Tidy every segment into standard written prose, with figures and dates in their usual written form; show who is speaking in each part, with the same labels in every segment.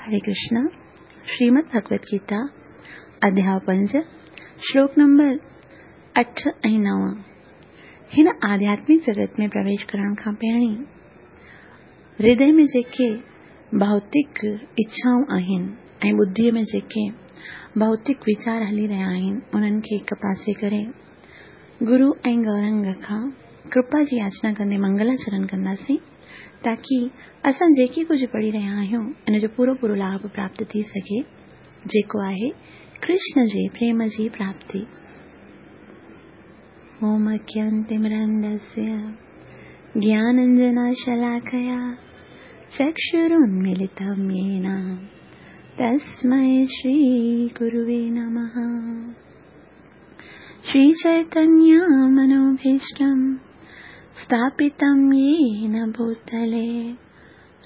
Speaker 1: हरे कृष्णा। श्रीमद् भगवत गीता अध्याय पंज, श्लोक नंबर 8 ऐं 9। हिन आध्यात्मिक जगत में प्रवेश करण खां पहिरीं हृदय में जेके भौतिक इच्छाऊं आहिनि ऐं बुद्धीअ में जेके भौतिक वीचार हली रहिया आहिनि, उन्हनि खे हिकु पासे करे गुरू ऐं गौरंग खां कृपा जी याचना कंदे मंगलाचरण कंदासीं, ताकी असां जेके कुझु पढ़ी रहिया आहियूं इन जो पूरो पूरो लाभ प्राप्त थी सघे, जेको आहे कृष्ण जे प्रेम जी प्राप्ति। ओम अज्ञानतिमिरान्धस्य ज्ञानाञ्जनशलाकया चक्षुरुन्मीलितं येन तस्मै श्रीगुरुवे नमः। श्रीचैतन्यमनोभीष्टं स्थापितं येन भूतले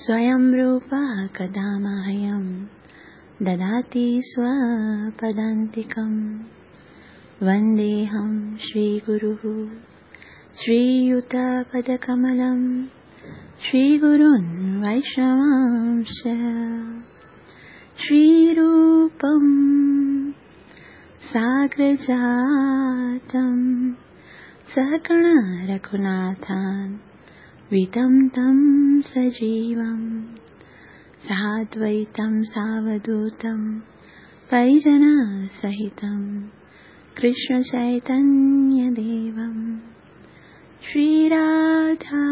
Speaker 1: स्वयं रूपा कदा मह्यं ददाति स्वपदान्तिकं। वन्देऽहं श्रीगुरुः श्रीयुतपदकमलं श्रीगुरुन् वैष्णवांश्च। श्रीरूपं साग्रजातं सहगण रघुनाथान् वितं तं सजीवं साद्वैतं सावधूतं परिजनसहितं कृष्णचैतन्यदेवं। श्रीराधा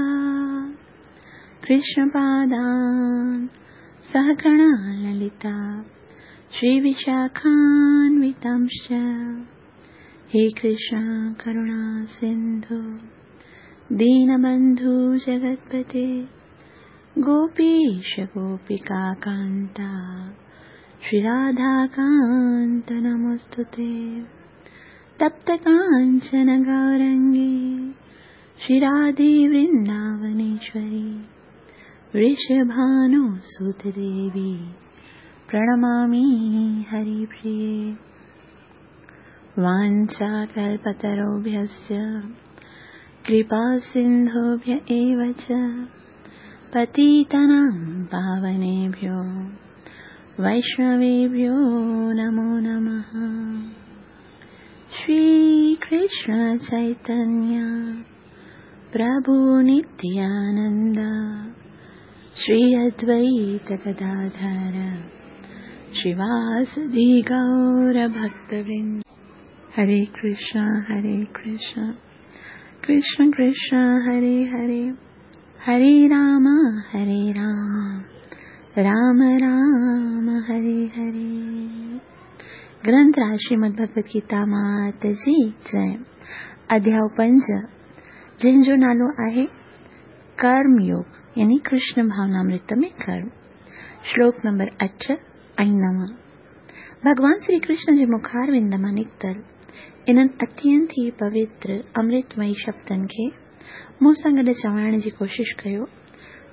Speaker 1: कृष्णपादान् सहगण ललिता श्रीविशाखान्वितांश्च। हे कृष्ण करुणा सिन्धु दीनबन्धु जगत्पते गोपीश गोपिका कान्ता श्रीराधाकान्त नमोऽस्तुते। तप्त काञ्चन गौरङ्गी श्रीराधे वृन्दावनेश्वरी वृषभानुसुते देवी प्रणमामि हरिप्रिये। वाञ्छाकल्पतरुभ्यश्च कृपासिन्धुभ्य एव च पतितानां पावनेभ्यो वैष्णवेभ्यो नमो नमः। श्रीकृष्ण चैतन्य प्रभु नित्यानन्द श्री अद्वैत गदाधर श्रीवासदि गौरभक्तवृन्द। हरे कृष्ण हरे कृष्ण कृष्ण कृष्ण हरे हरे, हरे राम हरे राम राम राम हरे हरे। ग्रंथ राज श्रीमद् भगवत गीता मात जी जय। अध्याय पंज, जंहिंजो नालो आहे कर्म योग, यानी कृष्ण भावनामृत में कर्म। श्लोक नंबर 8 ऐं 9। भॻवान श्री कृष्ण जे मुखारविंद मां निकितल इन्हनि अत्यंत ई पवित्र अमृतमयी शब्दनि खे मूं सां गॾु चवाइण जी कोशिशि कयो।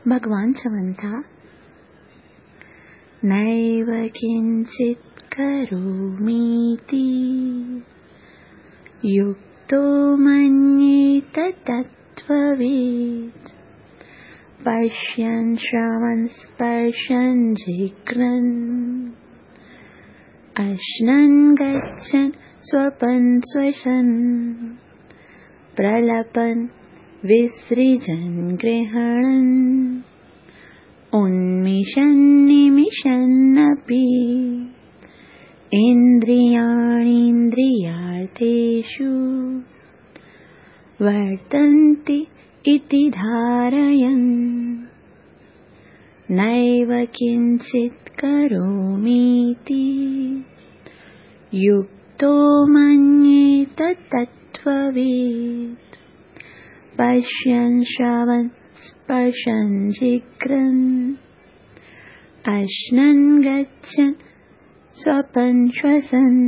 Speaker 1: भॻवान चवनि था, नैव किंचित् करोमीति युक्तो मन्येत तत्त्ववित् पश्यन् श्रवन् स्पर्शन् जिघ्रन् अश्नन् गच्छन् स्वपन् श्वसन् प्रलपन् विसृजन् गृह्णन् उन्मिषन् निमिषन्नपि इन्द्रियाणीन्द्रियार्थेषु वर्तन्ते इति धारयन् नैव किञ्चित् करोमीति युक्तो मन्येत तत्त्ववित् पश्यन् श्रवन् स्पर्शन् जिघ्रन् अश्नन् गच्छन् स्वपन् श्वसन्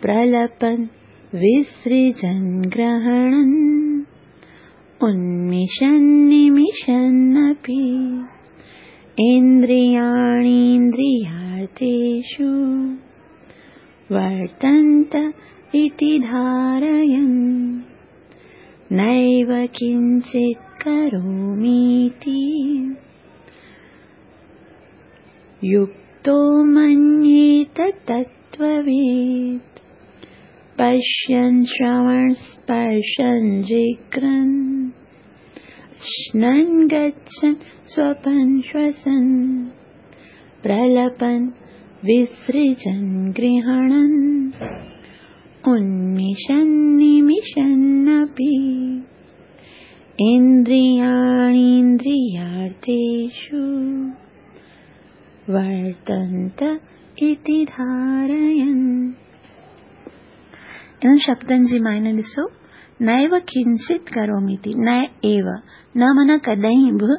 Speaker 1: प्रलपन् विसृजन् ग्रहणन् उन्मिषन् निमिषन्नपि इन्द्रियाणीन्द्रियार्थेषु वर्तन्त इति धारयन् नैव किञ्चित् करोमीति। युक्तो मन्येत तत्त्ववित्। पश्यन् श्रवण स्पर्शन् जिघ्रन् श्नन् गच्छन् स्वपन् श्वसन् प्रलपन् विसृजन् गृह्णन् उन्मिषन् निमिषन्नपि इन्द्रियाणीन्द्रियार्थेषु वर्तन्त इति धारयन्। इन्हनि शब्दनि जी मायने ॾिसो, नैव किंचित करोमीति, न एव, न माना कॾहिं बि,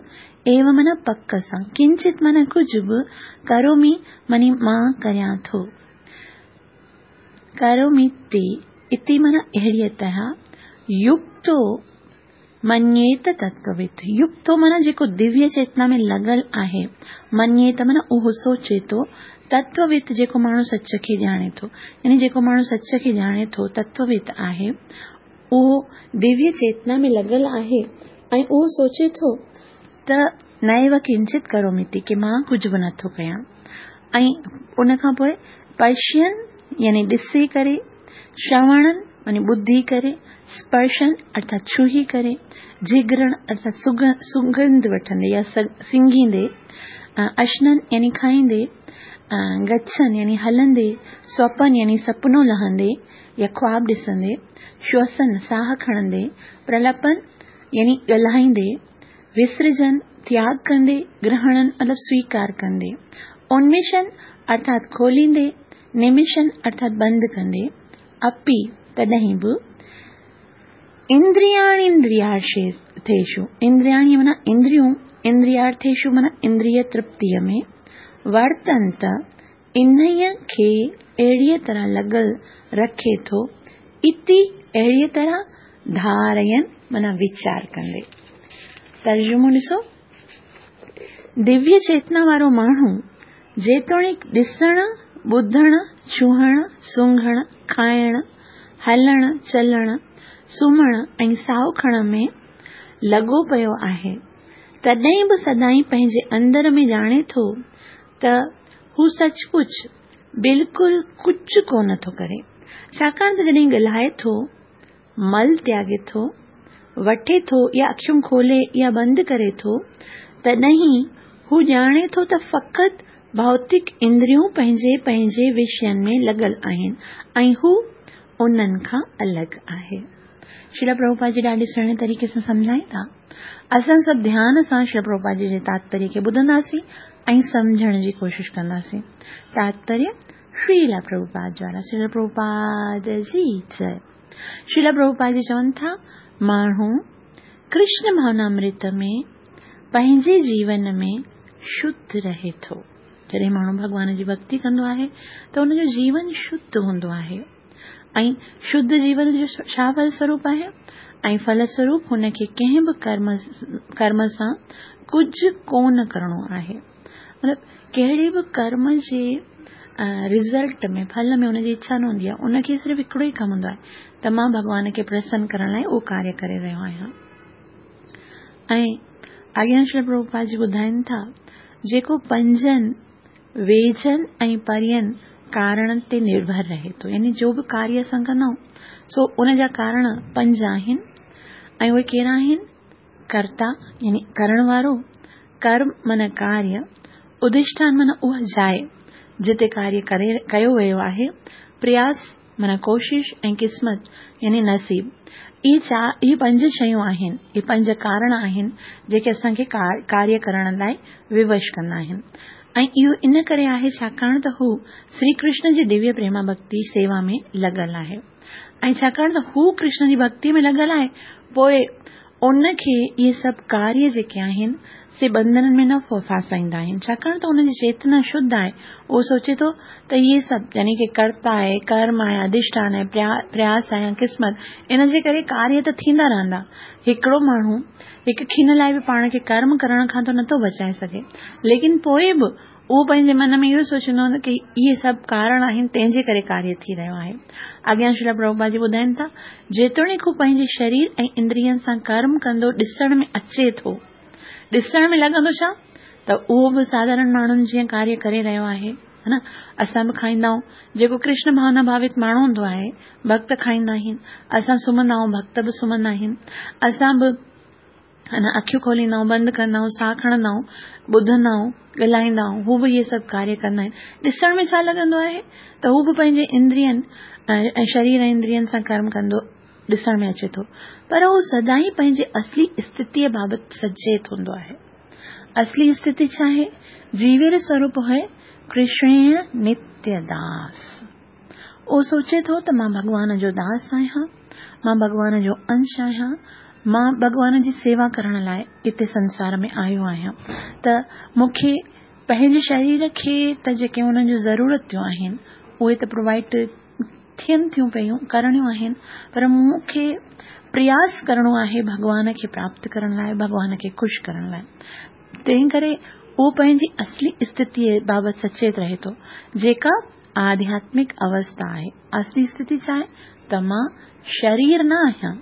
Speaker 1: एव माना पक सां, किंचित माना कुझु बि, करोमि मानी मां करियां थो, करोमीति इति माना अहिड़ीअ तरह, युक्तो मन्येत तत्ववित्, युक्तो माना जेको दिव्य चेतना में लॻल आहे, मन्येत माना उहो सोचे थो, तत्ववित् जेको माण्हू सच खे ॼाणे थो, यानी जेको माण्हू सच खे ॼाणे थो तत्ववित् आहे, उहो दिव्य चेतना में लॻल आहे ऐं उहो सोचे थो त नैव किंचित करोमीति, की मां कुझु बि नथो कयां। ऐं उन खां पोइ पश्यन् यानी ॾिसी करे, श्रवणन् मानी ॿुधी करे, स्पर्शन अर्थात छुही करे, जिघ्रण अर्थात सुगंध वठंदे या सिंघींदे, अश्नन यानी खाईंदे, गच्छन यानी हलंदे, स्वपन यानी सपनो लहंदे या ख्वाब ॾिसंदे, श्वसन साह खणंदे, प्रलपन यानी ॻाल्हाईंदे, विसर्जन त्याग कंदे, ग्रहणन मतलब स्वीकार कंदे, उन्मिषन अर्थात खोलींदे, निमिषन अर्थात बंदि कंदे, अपि तॾहिं बि, इंद्रियाणीन्द्रियार्थेषु, इंद्रियाणी माना इंद्रियूं, इंद्रियार्थेषु माना इंद्रिय तृप्तीअ में, वर्तन्त इन्हीअ खे अहिड़ीअ तरह लॻल रखे थो, इति अहिड़ीअ तरह धारयन माना वीचार कंदे। तर्जुमो ॾिसो, दिव्य चेतना वारो माण्हू जेतोणीक ॾिसण, ॿुधण, छुहण, सूंघण, खाइण, हलण, चलण, सुम्हण ऐं साहो खणण में लॻो पियो आहे, तॾहिं बि सदाईं पंहिंजे अंदर में ॼाणे थो त हू सचपुच बिल्कुलु कुझु कोन थो करे, छाकाणि त जॾहिं ॻाल्हाए थो, मल त्यागे थो, वठे थो या अखियूं खोले या बंदि करे थो, तॾहिं हू ॼाणे थो त फ़क़ति भौतिक इंद्रियूं पंहिंजे पंहिंजे विषयनि में लॻल आहिनि ऐं हू उन्हनि खां अलॻि आहे। श्रील प्रभुपाद जी ॾाढे सुहिणे तरीक़े सां सम्झाइनि था। असां सभु ध्यान सां श्रील प्रभुपाद जी जे तात्पर्य खे ॿुधंदासीं ऐं सम्झण जी कोशिशि कंदासीं। तात्पर्य श्रील प्रभुपाद द्वारा। श्रील प्रभुपाद जी जय। श्रील प्रभुपाद जी चवनि था, माण्हू कृष्ण भावनामृत में पंहिंजे जीवन में शुद्ध रहे थो। जॾहिं माण्हू भॻवान जी भक्ति कंदो आहे त हुनजो जीवन शुद्ध हूंदो आहे ऐं शुद्ध जीवन जो छा फलस्वरूप आहे? ऐं फलस्वरूप हुनखे कंहिं बि कर्म सां कुझु कोन करिणो आहे। मतिलबु कहिड़े बि कर्म जे रिज़ल्ट में, फल में हुनजी इच्छा न हूंदी आहे। उनखे सिर्फ़ु हिकिड़ो ई कमु हूंदो आहे त मां भॻवान खे प्रसन्न करण लाइ उहो कार्य करे रहियो आहियां। ऐं अॻियां श्री प्रभुपाद जी ॿुधाइनि था, जेको पंजनि वेझनि ऐं परियनि कारणनि ते निर्भर रहे थो, यानी जो बि कार्य असां कंदा आहियूं सो उनजा कारण पंज आहिनि ऐं उहे कहिड़ा आहिनि? कर्ता यानी करण वारो, कर्म माना कार्य, उदिष्ठान माना उहा जाइ जिते कार्य करे कयो वियो आहे, प्रयास माना कोशिश ऐं किस्मत यानी नसीब। इहे पंज शयूं आहिनि, इहे पंज कारण आहिनि जेके असांखे कार्य करण लाइ विवश कंदा आहिनि। ऐं इहो इन करे आहे छाकाणि त हू श्री कृष्ण जी दिव्य प्रेमा भक्ति सेवा में लॻल आहे ऐं छाकाणि त हू कृष्ण जी भक्ति में लॻल आहे, पोइ उनखे इहे सभु कार्य जेके आहिनि से बंधननि में न फासाईंदा आहिनि, छाकाणि त हुनजी चेतना शुद्ध आहे। उहो सोचे थो त इहे सभु यानी की कर्ता आहे, कर्म आहे, अधिष्ठान आहे, प्रयास आहे या किस्मत, इन जे करे कार्य त थींदा रहंदा। हिकिड़ो माण्हू हिकु खिन लाइ बि पाण खे कर्म करण खां त नथो बचाए सघे, लेकिन पोइ बि उहो पंहिंजे मन में इहो सोचींदो की इहे सभु कारण आहिनि तंहिंजे करे कार्य थी रहियो आहे। अॻियां श्रील प्रभुपाद जी ॿुधाइनि था, जेतोणीक हू पंहिंजे शरीर ऐं इंद्रियनि सां कर्म कंदो ॾिसण में अचे थो, ॾिसण में लॻंदो छा ته اهو به ساڌارڻ ماڻهن جيئن ڪاريه ڪري رهيو آهي، ها نه؟ اسان به کائيندا آهيون. جيڪو ڪرشن ڀاونا ڀاوت ماڻهو هوندو آهي، ڀڳت کائيندا آهن. اسان سمهندا آهيون، ڀڳت به سمهندا آهن. اسان به ها نه اکيون کوليندا آهيون، بند ڪندا آهيون، ساهه کڻندا آهيون، ٻڌندا آهيون، ڳالهائيندا آهيون، هو به اهي سڀ ڪاريه ڪندا آهن. ڏسڻ ۾ ڇا لڳندو آهي ته هو به پنهنجي اندرين ۽ شرير ۽ اندرين سان ڪرم ڪندو ڏسڻ ۾ اچي ٿو، پر هو سدائين پنهنجي اصلي اسٿتيء بابت سچيت هوندو آهي. اصلي اسٿتي ڇا آهي؟ جيوير سوروپ هي ڪرشڻيڻ نتيه داس. اهو سوچي ٿو ته مان ڀڳوان جو داس آهيان، مان ڀڳوان جو انش آهيان، مان ڀڳوان جي سيوا ڪرڻ لاء هتي سنسار ۾ آيو آهيان ته مون کي پنهنجي شرير کي ته جيڪي انهن جون ضرورتون آهن اهي ته پرووائيڊ ٿين ٿيون پيون، ڪرڻيون آهن، پر مون کي پرياس ڪرڻو آهي ڀڳوان کي پراپت ڪرڻ لاء، ڀڳوان کي خوش ڪرڻ لاء. تنهن ڪري اهو پنهنجي اصلي اسٿتيء بابت سچيت رهي ٿو، جيڪا آڌياتمڪ اوسٿا آهي. اصلي اسٿتي ڇا آهي؟ ته مان شرير نه آهيان.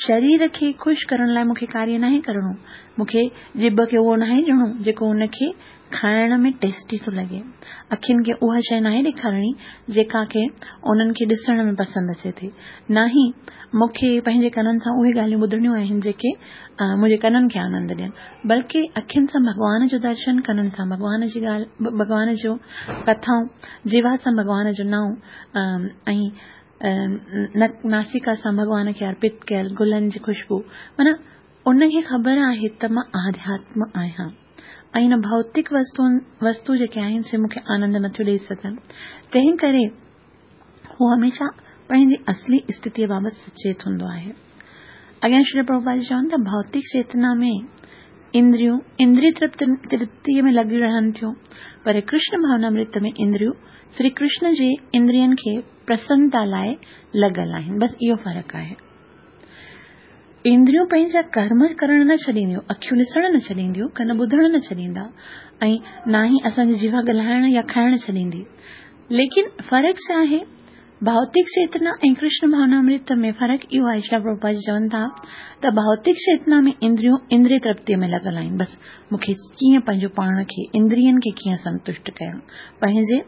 Speaker 1: شرير کي خوش ڪرڻ لاء مون کي ڪاريه ناهي ڪرڻو. مون کي ڄڀ کي اهو ناهي ڏيڻو جيڪو ان کي کائڻ ۾ ٽيسٽي ٿو لڳي. اکين کي اها شيء ناهي ڏيکارڻي جيڪا کي انهن کي ڏسڻ ۾ پسند اچي ٿي. ناهي مون کي پنهنجي ڪنن سان اهي ڳالهيون ٻڌڻيون آهن جيڪي منهنجي ڪنن کي آنند ڏين. بلڪه اکين سان ڀڳوان جو درشن، ڪنن سان ڀڳوان جي ڳالهه، ڀڳوان جو ڪٿائون، جيوا سان ڀڳوان جو نانء ۽ ناسيڪا سان ڀڳوان کي ارپت ڪيل گلن جي خوشبو. معنيٰ ان کي خبر آهي ته مان آڌياتم آهيان ۽ هن ڀوتڪ وستو جيڪي آهن سي مون کي آنند نٿيون ڏيئي سگهن. تنهن ڪري هو هميشه پنهنجي اصلي اسٿتيء بابت سچيت هوندو آهي. اڳيان شري پرڀوپاد جي چون ٿا ڀوتڪ چيتنا ۾ اندريون اندري ترپتيء ۾ لڳيون رهن ٿيون پر ڪرشن ڀاونامرت ۾ اندريون شري ڪرشن جي اندرين کي پرسنتا لاء لڳل آهن. بس اهو فرق آهي. اندريون پنهنجا ڪرم ڪرڻ نه ڇڏينديون، اکيون ڏسڻ نه ڇڏينديون، ڪن ٻڌڻ نه ڇڏيندا ۽ نه ئي اسان جي جيوا ڳالهائڻ يا کائڻ ڇڏيندي. ليڪن فرق ڇا آهي؟ ڀوتڪ چيتنا ۽ ڪرشن ڀاونامرت ۾ فرق اهو آهي، شريلا پرڀوپاد جي چون ٿا ته ڀوتڪ چيتنا ۾ اندريون اندري ترپتيء ۾ لڳل آهن، بس مون کي ڪيئن پنهنجو پاڻ کي، اندرين کي ڪيئن سنتشٽ ڪيان، پنهنجي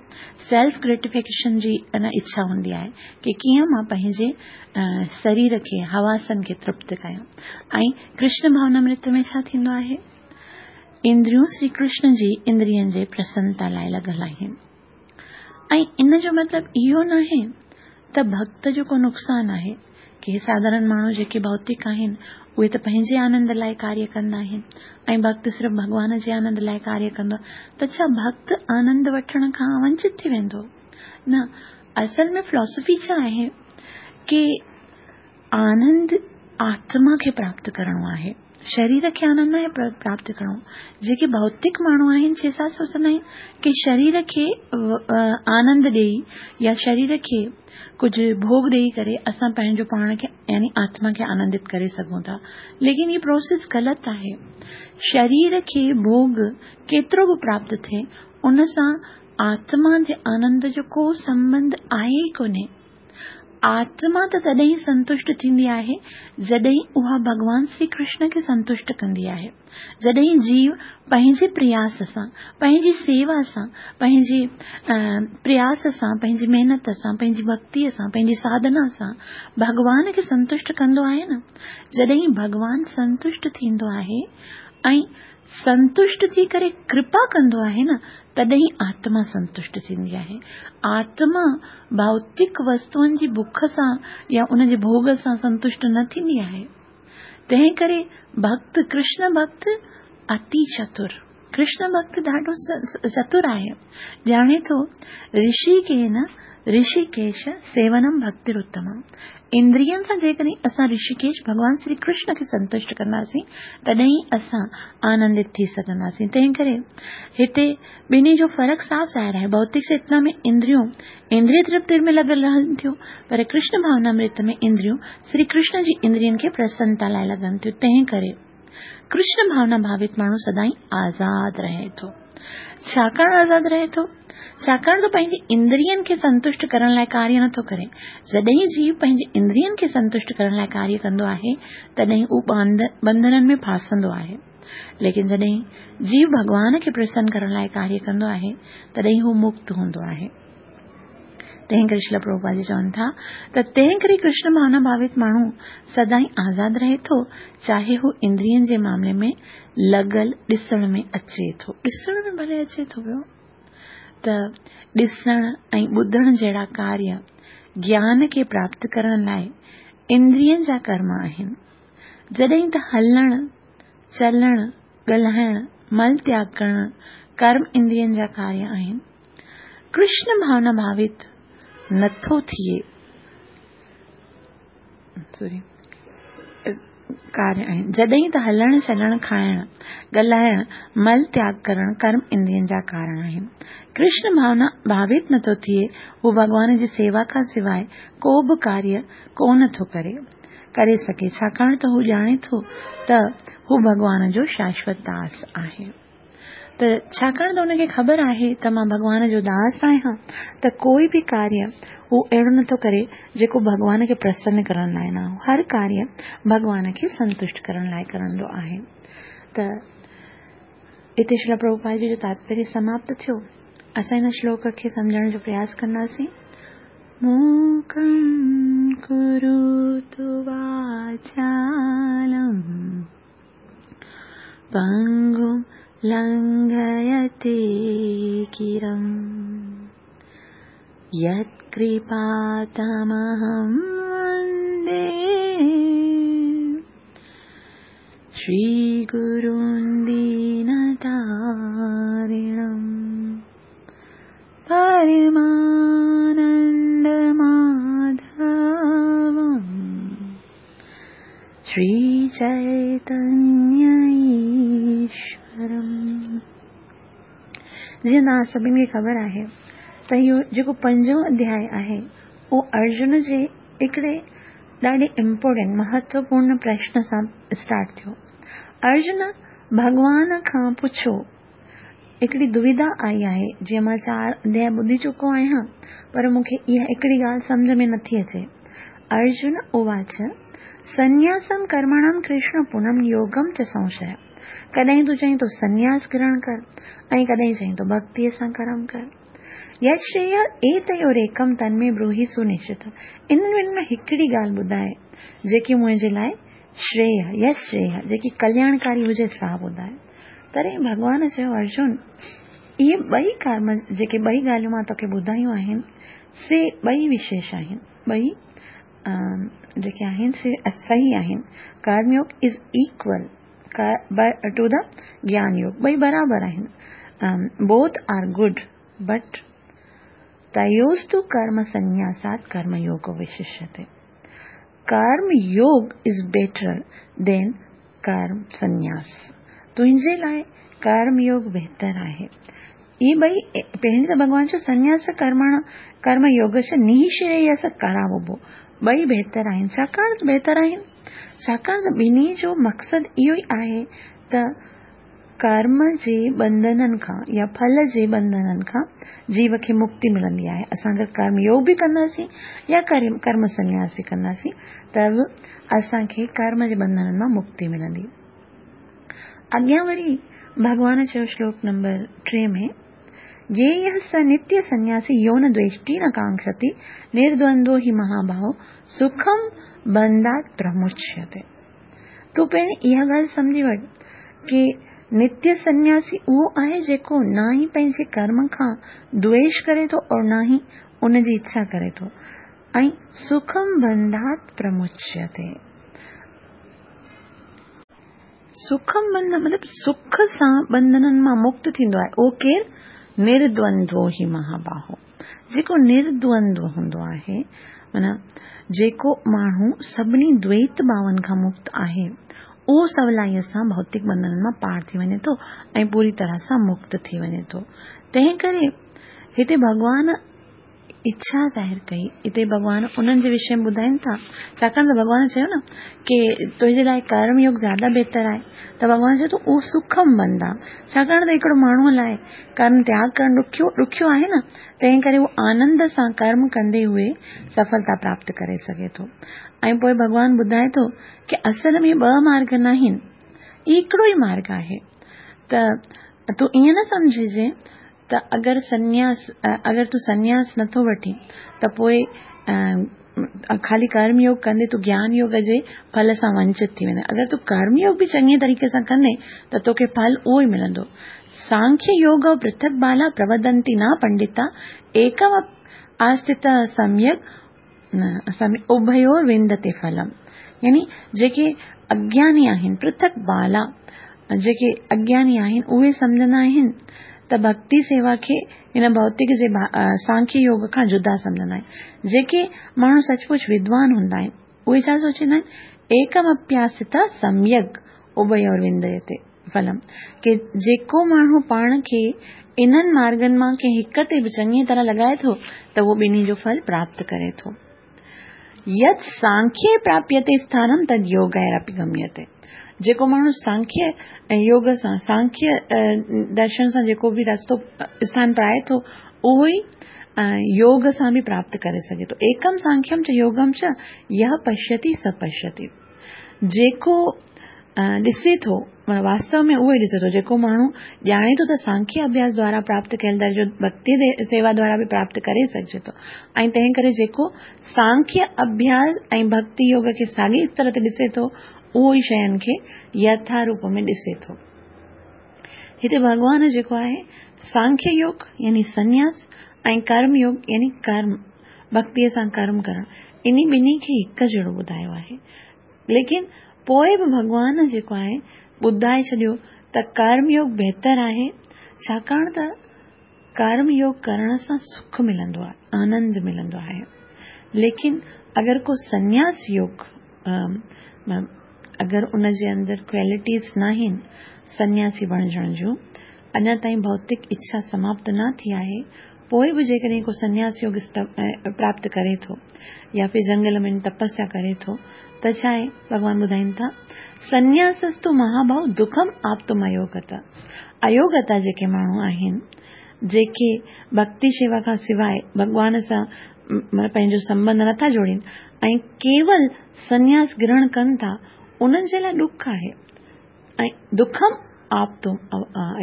Speaker 1: سيلف گريٽيفڪيشن جي ان اڇا هوندي آهي ڪي ڪيئن مان پنهنجي سرير کي، حواسن کي ترپت ڪيان. ۽ ڪرشن ڀاونامرت ۾ ڇا ٿيندو آهي؟ اندريون شري ڪرشن جي اندرين جي پرسنتا لاء لڳل آهن. ۽ ان جو مطلب اهو ناهي ته ڀڳت جو ڪو نقصان آهي. ڪي ساڌارڻ ماڻهو جيڪي ڀوتڪ آهن، اهي ته پنهنجي آنند لاء ڪاريه ڪندا آهن ۽ ڀڳت صرف ڀڳوان جي آنند لاء ڪاريه ڪندو آهي ته ڇا ڀڳت آنند وٺڻ کان ونچت ٿي ويندو؟ نه، اصل ۾ فلاسافي ڇا آهي ڪي آنند آتما کي پراپت ڪرڻو آهي، شرير کي آنند ناهي پراپت ڪرڻو. جيڪي ڀوتڪ ماڻهو آهن سي ڇا سوچندا آهن ڪي شرير کي آنند ڏيئي يا شرير کي ڪجهه ڀوڳ ڏيئي ڪري اسان پنهنجو پاڻ کي يعني آتما کي آنندت ڪري سگهون ٿا. ليڪن هي پروسيس غلط آهي. شرير کي ڀوڳ ڪيترو به پراپت ٿئي ان سان آتما جي آنند جو ڪو سنٻنڌ آهي ئي ڪونهي. آتما ته تڏهن ئي سنتشٽ ٿيندي آهي، جڏهن اها ڀڳوان شري ڪرشن کي سنتشٽ ڪندي آهي. جڏهن جيو پنهنجي پرياس سان، پنهنجي سيوا سان، پنهنجي پرياس سان، پنهنجي محنت سان، پنهنجي ڀڳتيء سان، پنهنجي ساڌنا سان ڀڳوان کي سنتشٽ ڪندو آهي نه، جڏهن ڀڳوان سنتشٽ ٿيندو آهي ۽ سنتشٽ ٿي ڪري ڪرپا ڪندو آهي نه تڏهن آتما سنتشٽ ٿيندي آهي. آتما ڀوتڪ وستوئن جي بک سان يا ان جي ڀوڳ سان سنتشٽ نه ٿيندي آهي. تنهن ڪري ڀڳت ڪرشن ڀڳت اتي چتر ڪرشن ڀڳت ڏاڍو چتر آهي. ڄاڻي ٿو رشي ڪين رشيڪيش سيونم ڀڳتر اتمم. اندرين سان جيڪڏهن اسان رشيڪيش ڀڳوان شري ڪرشن کي سنتشٽ ڪنداسين تڏهن ئي اسان آنندت ٿي سگهنداسين. تنهن ڪري هتي ٻنهي جو فرق صاف ظاهر آهي. ڀوتڪ چيتنا ۾ اندريون اندري ترپتي ۾ لڳل رهن ٿيون پر ڪرشن ڀاونامرت ۾ اندريون شري ڪرشن جي اندرين کي پرسنتا لاء لڳن ٿيون. تنهن ڪري ڪرشن ڀاونا ڀاوت ماڻهو سدائين آزاد رهي ٿو. ڇاڪاڻ آزاد رهي ٿو؟ ڇاڪاڻ ته پنهنجي اندرين کي سنتشٽ ڪرڻ لاء ڪاريه نٿو ڪري. جڏهن جيو پنهنجي اندرين کي سنتشٽ ڪرڻ لاء ڪاريه ڪندو آهي، تڏهن هو ٻنڌنن ۾ ڦاسندو آهي. ليڪن جڏهن جيو ڀڳوان کي پرسن ڪرڻ لاء ڪاريه ڪندو آهي، تڏهن هو مڪت هوندو آهي. تنهن ڪري شريل پرڀوپاد جي چون ٿا ته تنهن ڪري ڪرشن ڀاونا ڀاوت ماڻهو سدائين آزاد رهي ٿو، چاهي هو اندرين جي معاملي ۾ لڳل ڏسڻ ۾ اچي ٿو. ڏسڻ ۾ ڀلي اچي ٿو پيو ته ڏسڻ ۽ ٻڌڻ جهڙا ڪاريه گيان کي پراپت ڪرڻ لاء اندرين جا ڪرم آهن. جڏهن ته هلڻ، چلڻ، ڳالهائڻ، مل تياڳ ڪرڻ ڪرم اندرين جا ڪاريه آهن. ڪرشن ڀاونا ڀاوت نٿو ٿئي. سوري ڪاريه آهن. جڏهن ته هلڻ، چلڻ، کائڻ، ڳالهائڻ، مل تياڳ ڪرڻ ڪرم اندرين جا ڪارڻ آهن. ڪرشن ڀاونا ڀاوت نٿو ٿئي، هو ڀڳوان جي سيوا کان سواء ڪو به ڪاريه ڪونه ٿو ڪري. ڪري سگهي، ڇاڪاڻ ته هو ڄاڻي ٿو ته هو ڀڳوان جو شاشوت داس آهي. ته ڇاڪاڻ ته هن کي خبر آهي ته مان ڀڳوان جو داس آهيان ته ڪوئي به ڪاريه هو اهڙو نٿو ڪري جيڪو ڀڳوان کي پرسن ڪرڻ لاء نه، هر ڪاريه ڀڳوان کي سنتشٽ ڪرڻ لاء ڪرندو آهي. ته اتي شريل پرڀوپاد جي جو تاتپريه سماپت ٿيو. اسان هن شلوڪ کي سمجهڻ جو پرياس ڪنداسين. موڪم ڪروتو واچالم پنگم لنگهيتي گرم يتڪرپا تمهم وندي شري گرون دينتارڻم پرمانند ماڌوم شري چيتنيه ايشورم. جيئن توهان سڀني کي خبر آهي ته اهو جيڪو پنجون اڌياء آهي اهو ارجن جي هڪڙي ڏاڍي امپورٽنٽ، مهتوپورن، پرشن سان اسٽارٽ ٿيو. ارجن ڀڳوان کان پڇيو هڪڙي دويدا آئي آهي، جيئن مان چار اڌياء ٻڌي چڪو آهيان، پر مون کي اها هڪڙي ڳالهه سمجهه ۾ نٿي اچي. ارجن اواچ، سنياسم ڪرمڻام ڪرشن پونم يوگم چ سنشيه. ڪڏهن تون چئين ٿو سنياس گرهڻ ڪر ۽ ڪڏهن چئين ٿو ڀڳتيء سان ڪرم ڪر. يت شريه ايتيوريڪم تن ۾ بروهي سنشچتم. انهن ٻنهي مان هڪڙي ڳالهه ٻڌاء، جيڪي منهنجي لاء شريه، يت شريه، جيڪي ڪلياڻڪاري هجي سا ٻڌاء. تڏهن ڀڳوان چيو، ارجن! اهي ٻئي ڪرم، جيڪي ٻئي ڳالهيون مان توکي ٻڌايون آهن، سي ٻئي وشيش آهن، ٻئي جيڪي آهن سي صحيح آهن. ڪرم يوگ از ايڪول ٽو the گيان يوگ، ٻئي برابر آهن. بوٿ آر گڊ بٽ تيوستو ڪرم سنياسات ڪرم يوگ وششيتي. ڪرم يوگ از بيٽر دين ڪرم سنياس. تنهنجي لاء ڪرم يوگ بهتر آهي. اهي ٻئي پهرين ته ڀڳوان چيو سنياس ڪرمڻ ڪرم يوگ چ نهشريس ڪراوبو ٻئي بهتر آهن. ڇاڪاڻ ته بهتر آهن ڇاڪاڻ ته ٻنهي جو مقصد اهو ئي آهي ته ڪرم جي ٻنڌنن کان يا ڦل جي ٻنڌنن کان جيو کي مڪتي ملندي آهي. اسان اگر ڪرم يوگ به ڪنداسين يا ڪرم سنياس به ڪنداسين ته به اسان کي ڪرم جي ٻنڌنن مان مڪتي ملندي. اڳيان وري ڀڳوان چيو شلوڪ نمبر 3 ۾ گيهه س نتيه سنياسي يو نه دويشٽي نه ڪانڪشتي نردوندو هي مهاباهو سکم بنڌات پرموچيتي. تون پهرين اها ڳالهه سمجهي وٺ ڪي نتيه سنياسي اهو آهي جيڪو نه ئي پنهنجي ڪرم کان دويش ڪري ٿو اور نه ئي ان جي اڇا ڪري ٿو ۽ سکم بنڌات پرموچيتي. سکم بنڌ مطلب سک سان بنڌنن مان مڪت ٿيندو آهي اهو ڪير؟ نردوندو هي مهاباهو. جيڪو نردوندو هوندو آهي معنيٰ جيڪو ماڻهو سڀني دويت ڀاون کان مڪت آهي اهو سولائيء سان ڀوتڪ ٻنڌنن مان پار ٿي وڃي ٿو ۽ پوري طرح سان مڪت ٿي وڃي ٿو. تنهن ڪري هتي ڀڳوان اڇا ظاهر ڪئي. هتي ڀڳوان انهن جي وشي ۾ ٻڌائين ٿا. ڇاڪاڻ ته ڀڳوان چيو نه ڪي تنهنجي لاء ڪرم يوگ زياده بهتر آهي ته ڀڳوان چيو ته اهو سکم بنڌ آهي. ڇاڪاڻ ته هڪڙو ماڻهوء لاء ڪرم تياڳ ڪرڻ ڏکيو ڏکيو آهي نه، تنهن ڪري هو آنند سان ڪرم ڪندي هوئي سڦلتا پراپت ڪري سگهي ٿو. ۽ پوء ڀڳوان ٻڌائي ٿو ڪي اصل ۾ ٻه مارگ ناهن. هي هڪڙو ئي مارگ آهي ته تون ائين نه سمجهجي ته اگر سنياس اگر تون سنياس نٿو وٺين ته پوء خالي ڪرم يوگ ڪندي تون گيان يوگ جي ڦل سان ونچت ٿي ويندين. اگر تون ڪرم يوگ به چڱي طريقي سان ڪندين ته توکي ڦل اهو ئي ملندو. سانکيه يوگ پرٿڪ بالا پروڌنتي نه پنڊتا ايڪم آسٿت سميڪ اڀيور وندتي ڦلم يعني جيڪي اگياني آهن پرٿڪ بالا جيڪي اگياني آهن اهي سمجهندا آهن ته ڀڳتي سيوا کي هن ڀوتڪ جي سانکيه يوگ کان جدا سمجهندا آهن. جيڪي ماڻهو سچ پچ ودوان هوندا آهن اهي ڇا سوچيندا آهن ايڪم اپياست سميڪ اڀيور ونديتي ڦلم ڪي جيڪو ماڻهو پاڻ کي انهن مارگن مان ڪنهن هڪ تي به چڱيء طرح لڳائي ٿو ته اهو ٻنهي جو ڦل پراپت ڪري ٿو. يت سانکيه پراپيتي اسٿانم تد يوگيراپي گميتي جيڪو ماڻهو سانکيه يوگ سان سانکيه درشن سان جيڪو به رستو اسٿان پرائي ٿو اهو ئي يوگ سان به پراپت ڪري سگهي ٿو. ايڪم سانکيم چ يوگم چ يه پشيتي س پشيتي جيڪو ڏسي ٿو معنيٰ واستو ۾ اهو ئي ڏسي ٿو جيڪو ماڻهو ڄاڻي ٿو ته سانکيه اڀياس دوارا پراپت ڪيل درجو ڀڳتي سيوا دوارا به پراپت ڪري سگهجي ٿو ۽ تنهن ڪري جيڪو سانکيه اڀياس ۽ ڀڳتي يوگ کي ساڳي استر تي ڏسي ٿو اهو ئي شين کي يٿا روپ ۾ ڏسي ٿو. هتي ڀڳوان جيڪو آهي سانکيه يوگ يعني سنياس ۽ ڪرم يوگ يعني ڪرم ڀڳتيء سان ڪرم ڪرڻ انهي ٻنهي کي هڪ جهڙو ٻڌايو آهي. ليڪن پوء به ڀڳوان جيڪو آهي ٻڌائي ڇڏيو ته ڪرم يوگ بهتر آهي ڇاڪاڻ ته ڪرم يوگ ڪرڻ سان سک ملندو آهي آنند ملندو آهي ليڪن اگر ڪو سنياس يوگ اگر ان جي اندر ڪوالٽيز ناهن سنياسي بڻجڻ جون اڃا تائين ڀوتڪ اڇا سماپت نه ٿي آهي پوء به جيڪڏهن ڪو سنياس يوگ پراپت ڪري ٿو يا ڦر جنگل ۾ تپسيا ڪري ٿو ته ڇا آهي؟ ڀڳوان ٻڌائين ٿا، سنياسستو مهاڀاو دکم آپتم ايوگتا ايوگتا جيڪي ماڻهو آهن، جيڪي ڀڳتي شيوا کان سواء ڀڳوان سان پنهنجو سنٻنڌ نٿا جوڙين ۽ ڪيول سنياس گرهڻ ڪن ٿا، انهن جي لاء ڏک آهي. ۽ دکم آپتم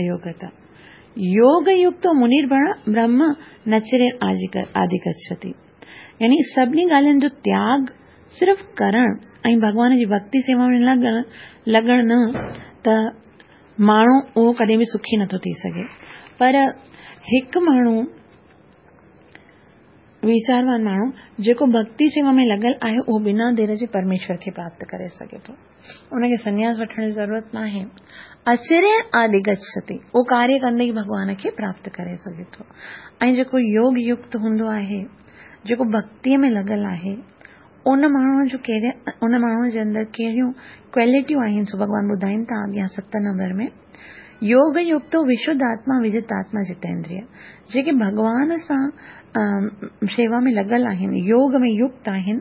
Speaker 1: ايوگتا يوگ يڪتو منير برهم نچرين آدي گڇتي يعني سڀني ڳالهين جو تياڳ صرف ڪرڻ ۽ ڀڳوان جي ڀڳتي سيوا ۾ لڳڻ لڳڻ نه ته ماڻهو اهو ڪڏهن به سکي نٿو ٿي سگهي پر هڪ ماڻهو ويچاروان ماڻهو جيڪو ڀڳتي سيوا ۾ لڳل آهي اهو بنا دير جي پرميشور کي پراپت ڪري سگهي ٿو. ان کي سنياس وٺڻ جي ضرورت ناهي. اچرين آدي گڇتي اهو ڪاريه ڪندي ئي ڀڳوان کي پراپت ڪري سگهي ٿو. ۽ جيڪو يوگ يڪت هوندو آهي، جيڪو ڀڳتيء ۾ لڳل آهي، ان ماڻهوء جو ڪهڙي ان ماڻهوء جي اندر ڪهڙيون ڪوالٽيون آهن سو ڀڳوان ٻڌائين ٿا اڳيان ست نمبر ۾. يوگ يڪتو وشڌ آتما وجت آتما جتيندريه جيڪي ڀڳوان سان شيوا ۾ لڳل آهن، يوگ ۾ يڪت آهن،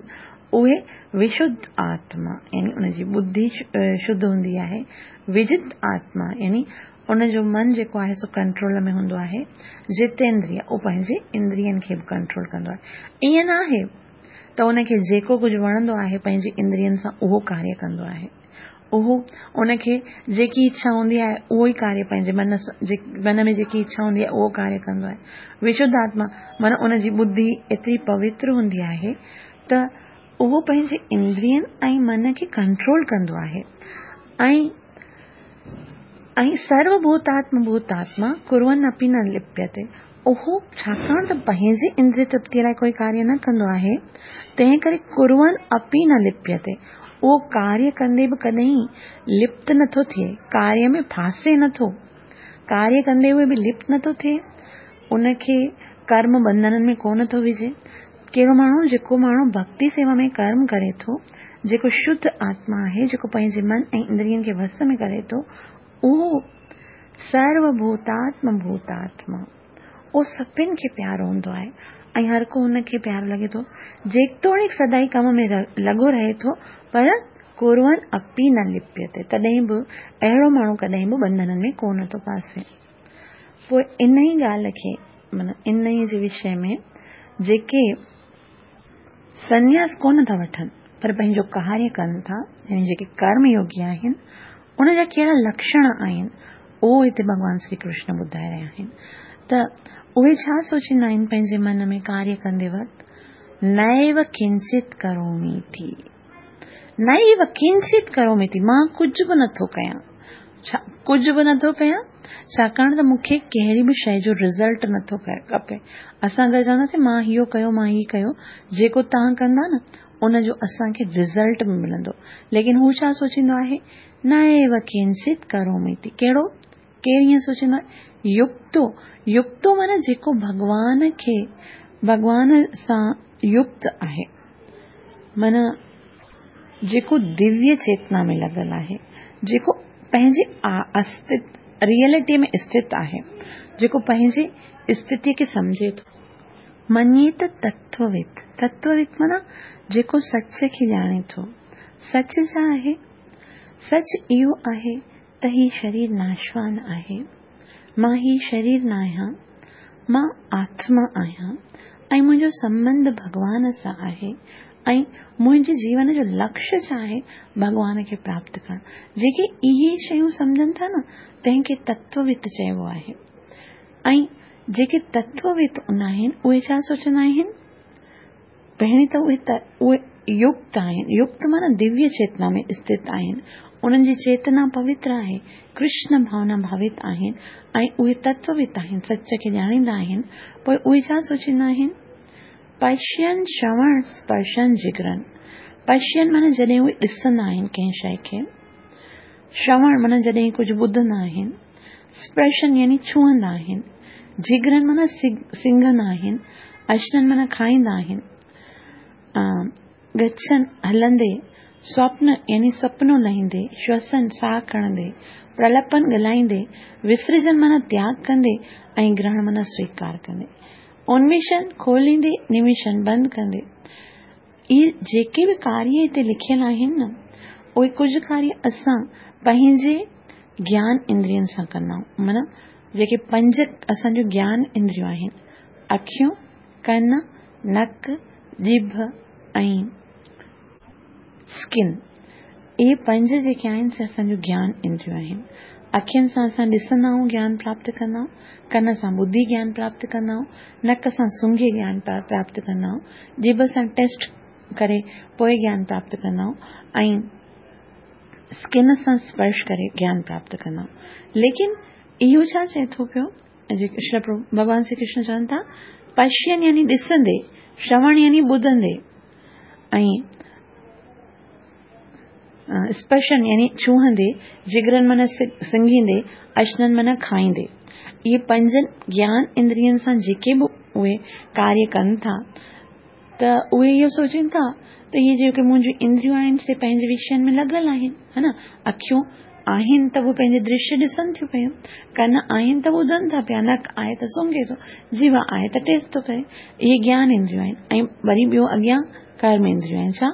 Speaker 1: اهي وشڌ آتما يعني ان جي ٻڌي شڌ هوندي آهي، وجت آتما يعني ان جو من جيڪو آهي سو ڪنٽرول ۾ هوندو آهي، جتيندريه اهو پنهنجي اندرين کي به ڪنٽرول ڪندو آهي. ائين نه آهي ته ان کي جيڪو ڪجهه وڻندو آهي پنهنجي اندرين سان اهو ڪاريه ڪندو آهي. اهو ان کي جيڪي اڇا هوندي آهي اهو ئي ڪاريه پنهنجي من سان من ۾ جيڪي اڇا هوندي آهي اهو ڪاريه ڪندو آهي. وشڌ آتما معنيٰ ان جي ٻڌي ايتري پوتر هوندي آهي ته اهو پنهنجي اندرين ۽ من کي ڪنٽرول ڪندو آهي ۽ ۽ سرو ڀوتاتم ڀوتاتما ڪرون اپي نه لپيتي اهو ڇاڪاڻ ته پنهنجي اندري ترپتيء لاء ڪوئي ڪاريه نه ڪندو آهي، تنهن ڪري ڪرون اپي نه لپيتي اهو ڪاريه ڪندي به ڪڏهن لپت نه ٿو ٿئي، ڪاريه ۾ ڦاسي نه ٿو. ڪاريه ڪندي هوئي به لپت نه ٿو ٿئي، ان کي ڪرم ٻنڌنن ۾ ڪونه ٿو وجهي. ڪهڙو ماڻهو؟ جيڪو ماڻهو ڀڳتي سيوا ۾ ڪرم ڪري ٿو، جيڪو شڌ آتما آهي، جيڪو پنهنجي من ۽ اندرين کي وس ۾ ڪري ٿو، اهو سرو ڀوتاتم ڀوتاتما، اهو سڀن کي پيارو هوندو آهي ۽ هر ڪو هن کي پيارو لڳي ٿو. جيتوڻيڪ سدائين ڪم ۾ لڳو رهي ٿو پر ڪرون اپي نه لپيتي، تڏهن به اهڙو ماڻهو ڪڏهن به ٻنڌنن ۾ ڪونه ٿو ڦاسي. پوء انهيء ڳالهه کي معنيٰ انهيء جي وشي ۾ جيڪي سنياس ڪونه ٿا وٺن پر پنهنجو ڪاريه ڪن ٿا يعني جيڪي ڪرم يوگي آهن، ان جا ڪهڙا لڪشڻ آهن، اهو هتي ڀڳوان شري ڪرشن ٻڌائي رهيا آهن ته اهي ڇا سوچيندا آهن پنهنجي من ۾ ڪاريه ڪندي وقت، نيو ڪنچت ڪروميتي، نيو ڪنچت ڪروميتي، مان ڪجهه به نٿو ڪيان. ڇا ڪجهه به نٿو ڪيان؟ ڇاڪاڻ ته مون کي ڪهڙي به شيء جو رزلٽ نٿو کپي. اسان اگر چونداسين مان اهو ڪيو مان هي ڪيو، جيڪو توهان ڪندا نه ان جو اسان کي رزلٽ به ملندو. ليڪن هو ڇا سوچيندو آهي؟ نيو ڪنچت ڪروميتي. ڪهڙو؟ ڪير ائين سوچيندو آهي؟ يڪتو. يڪتو معنيٰ جيڪو ڀڳوان کي ڀڳوان سان يڪت آهي. معنيٰ جيڪو دويه چيتنا ۾ لڳل آهي، جيڪو پنهنجي استت ريئلٽي ۾ استٿ آهي، جيڪو پنهنجي استٿيء کي سمجهي ٿو. مڃي ته تتووت، تتووت معنيٰ جيڪو سچ کي ڄاڻي ٿو. سچ ڇا آهي؟ سچ اهو آهي ته هي شرير ناشوان آهي. مان هي شرير ناهيان، مان آتما آهيان ۽ منهنجو سنٻنڌ ڀڳوان سان آهي ۽ منهنجي جيون جو لڪش ڇا آهي؟ ڀڳوان کي پراپت ڪرڻ. جيڪي اهي شيون سمجهن ٿا نه، تنهن کي تتووت چئبو آهي. ۽ جيڪي تتووت هوندا آهن، اهي ڇا سوچندا آهن؟ پهرين ته اهي ته اهي يڪت آهن، يڪت معنيٰ دويه چيتنا ۾ اسٿت آهن، انهن جي چيتنا پوتر آهي، ڪرشن ڀاونا ڀاوت آهن ۽ اهي تتووت آهن، سچ کي ڄاڻيندا آهن، پوء اهي ڇا سوچيندا آهن؟ پشين شروڻ اسپرشن جگرن، پشين معنيٰ جڏهن اهي ڏسندا آهن ڪنهن شيء کي، شروڻ معنيٰ جڏهن ڪجهه ٻڌندا آهن، اسپرشن يعني ڇهندا آهن، جگرن معنيٰ سنگهندا آهن، اشنن معنيٰ کائيندا آهن، گڇن هلندي، سوپن يعني سپنو لهيندي، شوسن ساهه کڻندي، پرلپن ڳالهائيندي، وسرجن معنيٰ تياڳ ڪندي ۽ گرهڻ معنيٰ سويڪار ڪندي. انميشن کوليندي، نميشن بند ڪندي. اهي جيڪي به ڪاريه هتي لکيل آهن نه، اهي ڪجهه ڪاريه اسان پنهنجي گيان اندرين سان ڪندا آهيون. معنيٰ جيڪي پنج اسان جون گيان اندريون آهن، اکيون، ڪن، نڪ، ڄڀ ۽ اسڪن، اهي پنج جيڪي آهن سي اسان جون گيان اندريون آهن. اکين سان اسان ڏسندا آهيون گيان پراپت ڪندا آهيون، ڪن سان ٻڌي گيان پراپت ڪندا آهيون، نڪ سان سونگهي گيان پراپت ڪندا آهيون، ڄڀ سان ٽيسٽ ڪري پوء گيان پراپت ڪندا آهيون ۽ اسڪن سان اسپرش ڪري گيان پراپت ڪندا آهيون. ليڪن اهو ڇا چئي ٿو پيو؟ ڀڳوان شري ڪرشن چون ٿا پشين يعني ڏسندي، شروڻ يعني ٻڌندي ۽ اسپرشن يعني ڇهندي، جگرن معنيٰ سنگهيندي، اشنن معنيٰ کائيندي. اهي پنجن گيان اندرين سان جيڪي به اهي ڪاريه ڪن ٿا ته اهي اهو سوچين ٿا ته اهي جيڪي منهنجون اندريون آهن سي پنهنجي وشين ۾ لڳل آهن ها نه اکيون آهن ته اهي پنهنجي درشيه ڏسن ٿيون پيون ڪن آهن ته ٻڌن ٿا پيا نڪ آهي ته سونگهي ٿو جيوا آهي ته ٽيسٽ ٿو ڪري اهي گيان اندريون آهن ۽ وري ٻيو اڳيان ڪرم اندريون آهن ڇا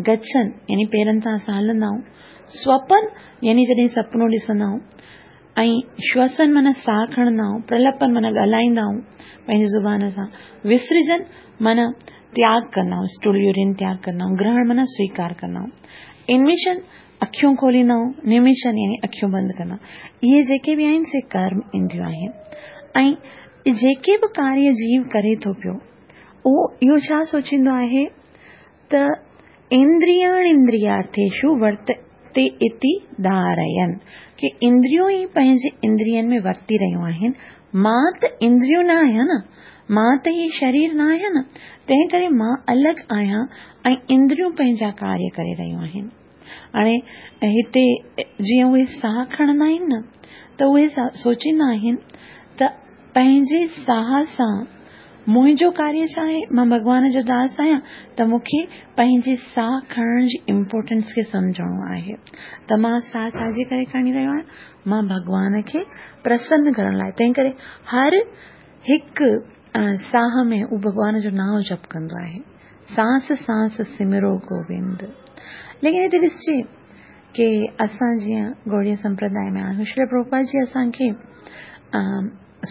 Speaker 1: گڇن يعني پيرن سان اسان هلندا آهيون سوپن يعني جڏهن سپنو ڏسندا آهيون ۽ شوسن معنيٰ ساهه کڻندا آهيون پرلپن معنيٰ ڳالهائيندا آهيون پنهنجي زبان سان وسرجن معنيٰ تياڳ ڪندا آهيون اسٽول يورين تياڳ ڪندا آهيون گرهڻ معنيٰ سويڪار ڪندا آهيون انميشن اکيون کوليندا آهيون نميشن يعني اکيون بند ڪندا آهيون اهي جيڪي به آهن سي ڪرم اندريون آهن ۽ جيڪي به ڪاريه جيو ڪري ٿو پيو اهو اهو ڇا سوچيندو آهي ته اندرياڻ اندريارٿيشو ورتتي اتي ڌارين ڪي اندريون ئي پنهنجي اندرين ۾ ورتي رهيون آهن مان ته اندريون نه آهيان نه مان ته هي شرير نه آهيان نه تنهن ڪري مان الڳ آهيان ۽ اندريون پنهنجا ڪاريه ڪري رهيون آهن هاڻي هتي جيئن اهي ساهه کڻندا آهن نه ته اهي سوچيندا آهن ته پنهنجي ساهه سان منهنجو ڪاريه ڇا آهي؟ مان ڀڳوان جو داس آهيان ته مون کي پنهنجي ساهه کڻڻ جي امپورٽنس کي سمجهڻو آهي ته مان ساهه ڇا جي ڪري کڻي رهيو آهيان؟ مان ڀڳوان کي پرسن ڪرڻ لاء تنهن ڪري هر هڪ ساهه ۾ هو ڀڳوان جو نانء جپ ڪندو آهي سانس سانس سمرو گووند ليڪن هتي ڏسجي ڪي اسان جيئن گوڙيه سمپرداء ۾ آهيون شري پرڀوپاد جي اسان کي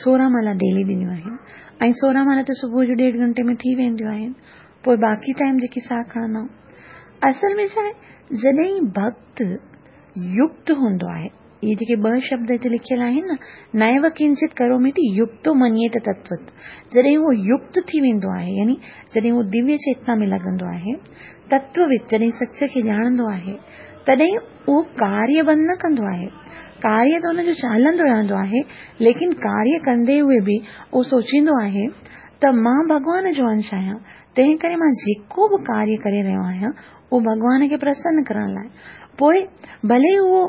Speaker 1: سورهن مالا ڊيلي ڏنيون آهن ۽ سورهن مالا ته صبح جو ڏيڍ گهنٽي ۾ ٿي وينديون آهن پوء باقي ٽائيم جيڪي ساهه کڻندا آهيون اصل ۾ ڇا آهي جڏهن ڀڪت يڪت هوندو آهي. اهي جيڪي ٻه شبد هتي لکيل آهن نه، نيو ڪنچت ڪروميتي يڪتو منيت تتوت، جڏهن اهو يڪت ٿي ويندو آهي يعني جڏهن اهو دويه چيتنا ۾ لڳندو آهي، تتووت جڏهن سچ کي ڄاڻندو آهي، تڏهن اهو ڪاريه بند نه ڪندو آهي. ڪاريه ته ان جو هلندو رهندو آهي، ليڪن ڪاريه ڪندي هوئي به اهو سوچيندو آهي ته مان ڀڳوان جو انش آهيان، تنهن ڪري مان جيڪو به ڪاريه ڪري رهيو آهيان، اهو ڀڳوان کي پرسن ڪرڻ لاء. پوء ڀلي اهو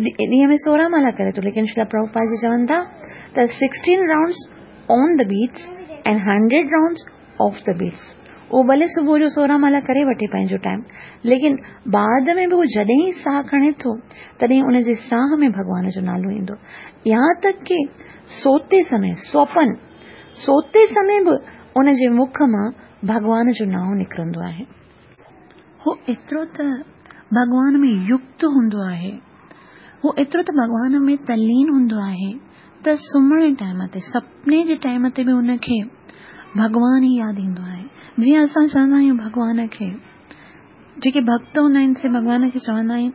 Speaker 1: ڏينهن ۾ 16 مالا ڪري ٿو، ليڪن شريلا پرڀوپاد جي چون ٿا ته 16 rounds on the beads ۽ 100 rounds off the beads. اهو ڀلي صبح جو 16 مالا ڪري وٺي پنهنجو ٽائيم، ليڪن بعد ۾ به اهو جڏهن ئي ساهه کڻي ٿو، تڏهن ان جي ساهه ۾ ڀڳوان جو نالو ايندو. يهان تڪ ڪي سوتي سمي، سوپن، سوتي سمي به ان جي مک مان ڀڳوان جو نانء نڪرندو آهي. هو ايترو ته ڀڳوان ۾ يڪت هوندو آهي، هو ايترو ته ڀڳوان ۾ تلين هوندو آهي ته سمهڻ ٽائيم تي، سپني جي ٽائيم تي به هن کي ڀڳوان ئي ياد ايندو آهي. جيئن اسان چوندا آهيون ڀڳوان کي، جيڪي ڀڳت هوندا آهن سي ڀڳوان کي چوندا آهن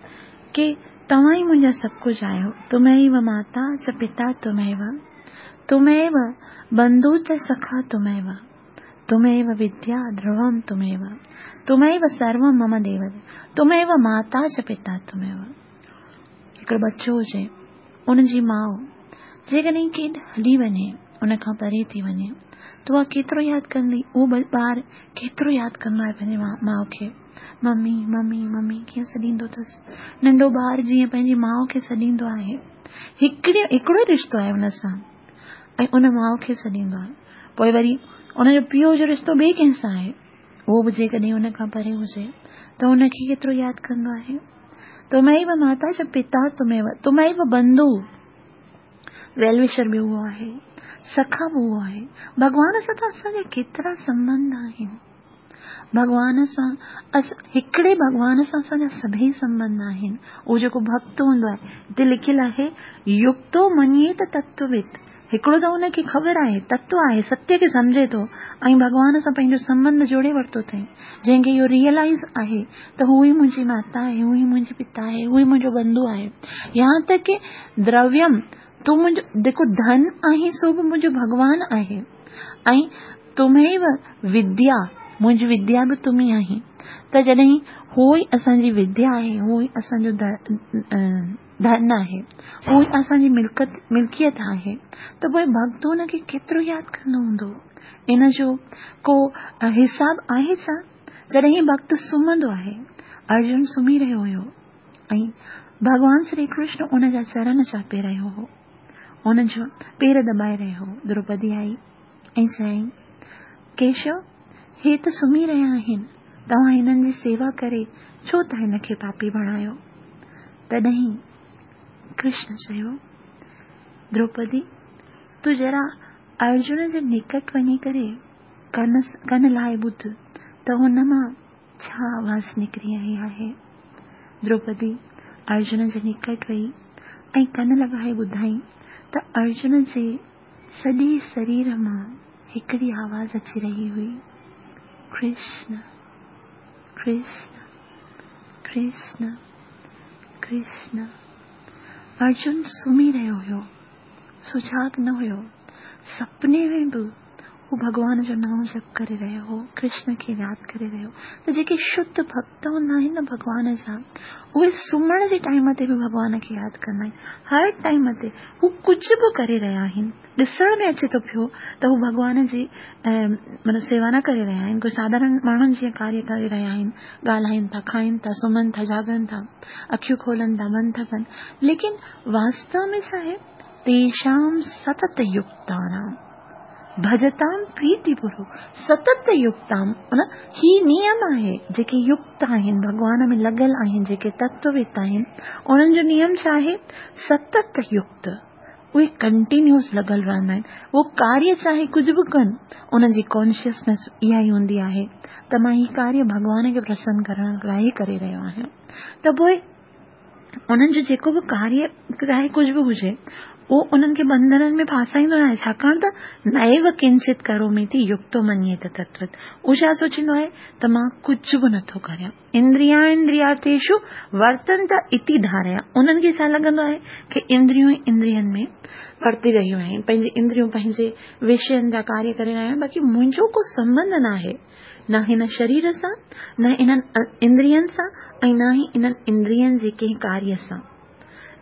Speaker 1: ڪي توهان ئي منهنجا سڀ ڪجهه آهيو، تميو ماتا چ پتا تميو، تميو بنڌو چ سکا تميو. تميو وديا ڌروم تميو، تميو سروم مم ديو، تميو ماتا چ پتا تميو. هڪڙو ٻچو هجي، ان جي ماء جيڪڏهن ڪيڏ هلي وڃي، ان کان پري ٿي وڃي ته اها ڪيترو ياد ڪندي، اهو ٻار ڪيترو ياد ڪندو آهي پنهنجي ماء کي، ممي ممي ممي ڪيئن سڏيندو اٿس. ننڍو ٻار جيئن پنهنجي ماء کي سڏيندو آهي، هڪڙي هڪڙو ئي رشتو آهي ان سان ۽ ان ماء کي سڏيندو آهي. پوء وري ان جو پيء جو رشتو ٻئي ڪنهن سان آهي، اهو به جيڪڏهن ان کان پري هجي ته ان کي ڪيترو ياد ڪندو آهي. تميو ماتا چ پتا تميو، تميو بنڌو، ويل وشر به اهو آهي، سکا به اهو آهي. ڀڳوان سان ته اسان جا ڪيترا سنٻنڌ آهن. ڀڳوان سان هڪڙي ڀڳوان سان اسان جا سڀئي سنٻنڌ آهن. اهو جيڪو ڀڳت هوندو آهي، هتي لکيل آهي يڪتو مڃي ته تتووت، هڪڙو ته ان کي خبر آهي، تتو آهي، ستيه کي سمجهي ٿو ۽ ڀڳوان سان پنهنجو سنٻنڌ جوڙي ورتو اٿئي، جنهن کي اهو ريئلائيز آهي ته هو ئي منهنجي ماتا آهي، هو ئي منهنجي پتا آهي، هو ئي منهنجو بنڌو آهي. يهان تڪ ڪي درويم، تون منهنجو جيڪو ڌن آهين سو به منهنجو ڀڳوان آهي ۽ تميو وديا، منهنجي وديا به تون ئي آهين. ته جڏهن هو ئي اسان جي وديا آهي، هو ئي اسان جو ڌن آهي، هو ئي اسان جي ملڪت ملڪيت آهي ته پوء ڀڳت هن کي ڪيترو ياد ڪندو هوندو؟ ان جو ڪو حساب آهي ڇا؟ جڏهن ڀڳت سمهندو آهي، ارجن سمهي رهيو هيو ۽ ڀڳوان شري ڪرشن ان جا چرن چاپي رهيو هو، ان جو پير دٻائي رهيو هو. دروپدي آئي ۽ چيائين، ڪيشو، هي ته سمهي رهيا آهن، توهان هنن جي سيوا ڪري ڇو ٿا هن کي پاپي بڻايو؟ تڏهن ڪرشن چيو، دروپدي، تون ذرا ارجن جي نڪٽ وڃي ڪري ڪن ڪن لائي ٻڌ ته هن مان ڇا آواز نڪري رهي آهي. دروپدي ارجن جي نڪٽ وئي ۽ ڪن لڳائي ٻڌائين ته ارجن جي سڄي سرير مان هڪڙي آواز اچي رهي هئي، ڪرشن، ڪرشن، ڪرشن، ڪرشن. ارجن سمهي رهيو هيو، سجاڳ نه هيو. سپني ۾ به هو ڀڳوان جو نانء جپ ڪري رهيو هو، ڪرشن کي ياد ڪري رهيو هو. ته جيڪي شڌ ڀڳت هوندا آهن نه ڀڳوان جا، اهي سمهڻ جي ٽائيم تي به ڀڳوان کي ياد ڪندا آهن. هر ٽائيم تي هو ڪجهه به ڪري رهيا آهن، ڏسڻ ۾ اچي ٿو پيو ته هو ڀڳوان جي مطلب سيوا نه ڪري رهيا آهن، ڪوئي ساڌارڻ ماڻهن جيئن ڪاريه ڪري رهيا آهن، ڳالهائين ٿا، کائين ٿا، سمهن ٿا، جاڳن ٿا، اکيون کولن ٿا، بند ٿا ڪن، ليڪن واستو ۾ ڇا آهي، تيشام ستت يڪتانام ڀجتام پريتي پوروڪ، ستت يڪتام معنيٰ هي نيم آهي، جيڪي يڪت آهن، ڀڳوان ۾ لڳل آهن، جيڪي تتووت آهن، انهن جو نيم ڇا آهي؟ ستت يڪت، اهي ڪنٽينيوس لڳل رهندا آهن، اهو ڪاريه چاهي ڪجهه به ڪن، انهن جي ڪانشسنيس اها ئي هوندي آهي ته مان هي ڪاريه ڀڳوان کي پرسن ڪرڻ لاء ئي ڪري رهيو آهيان، ته پوء انهن جو جيڪو به ڪاريه چاهي ڪجهه به هجي، اهو انهن کي ٻنڌنن ۾ ڦاسائيندو ناهي، ڇاڪاڻ ته نيو ڪنچت ڪروميتي يڪتو مڃيت تتوت. اهو ڇا سوچيندو آهي ته مان ڪجهه به نٿو ڪريان. اندريانندريارٿيشو ورتنت اتي ڌاريا. انهن کي ڇا لڳندو آهي ڪي اندريون ئي اندرين ۾ ورتي رهيون آهن، پنهنجي اندريون پنهنجي وشين جا ڪاريه ڪري رهيا آهن، باقي منهنجو ڪو سنٻنڌ ناهي، نه هن شرير سان، نه انهن اندرين سان ۽ نه ئي انهن اندرين جي ڪنهن ڪاريه سان.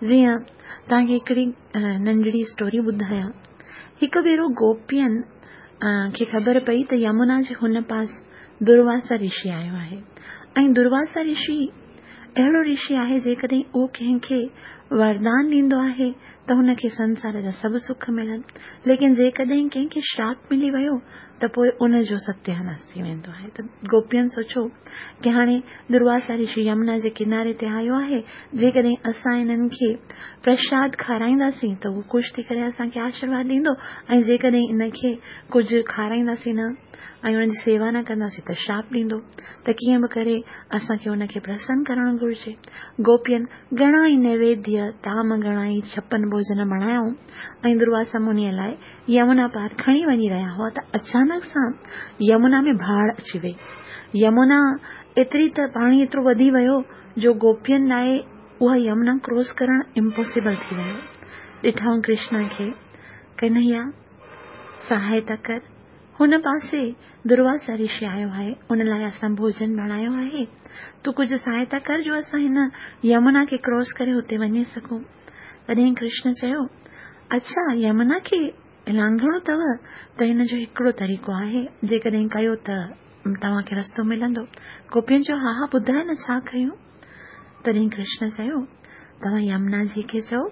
Speaker 1: جيئن توهان کي هڪڙي ننڍڙي اسٽوري ٻڌايان. هڪ ڀيرو گوپين کي خبر پئي ته يمنا جي هن پاس درواسا رشي آيو آهي ۽ درواسا رشي اهڙو رشي آهي جيڪڏهن اهو ڪنهن کي وردان ڏيندو آهي ته هن کي سنسار جا سڀ سک ملن ليڪن جيڪڏهن ڪنهن کي شراپ ملي ويو ته پوء ان جو ستياناس ٿي ويندو آهي ته گوپين سوچيو ڪي هاڻي درواسا رشي يمنا جي ڪناري تي آيو آهي جيڪڏهن اسان انهن کي پرشاد کارائينداسين ته هو خوش ٿي ڪري اسان کي آشرواد ڏيندو ۽ جيڪڏهن ان کي ڪجهه کارائينداسين نه ۽ ان جي سيوا نه ڪنداسين ته شراپ ڏيندو ته ڪيئن به ڪري اسان کي ان کي پرسن ڪرڻ گهرجي. گوپين گهڻا ئي نيويديه، طعام گهڻا ئي ڇپن ڀوڄن بڻايائون ۽ درواسا منيء لاء يمنا پار کڻي وڃي رهيا هئا ته اچانڪ سان يمنا ۾ باڙهه اچي وئي. يمنا ايتري ته پاڻي ايترو وڌي ويو جو گوپين لاء اها يمنا ڪراس ڪرڻ امپاسيبل ٿي ويو. ڏٺائون ڪرشنا کي، ڪنهيا! سهائتا ڪر. هن پاسي درواسا رشي آيو آهي، ان لاء اسان ڀوڄن بڻايو آهي. تون ڪجهه سهائتا ڪر جو اسان هن يمنا کي ڪراس ڪري هتي وڃي سگهون. تڏهن ڪرشن چيو، اڇا يمنا کي لانگهڻو اٿو ته هن جو هڪڙو طريقو آهي، جيڪڏهن ڪيو ته توهان کي رستو ملندو. گوپين چيو، ها ها ٻڌاء نه ڇا ڪيون؟ تڏهن ڪرشن چيو، توهان يمنا جي کي چئو،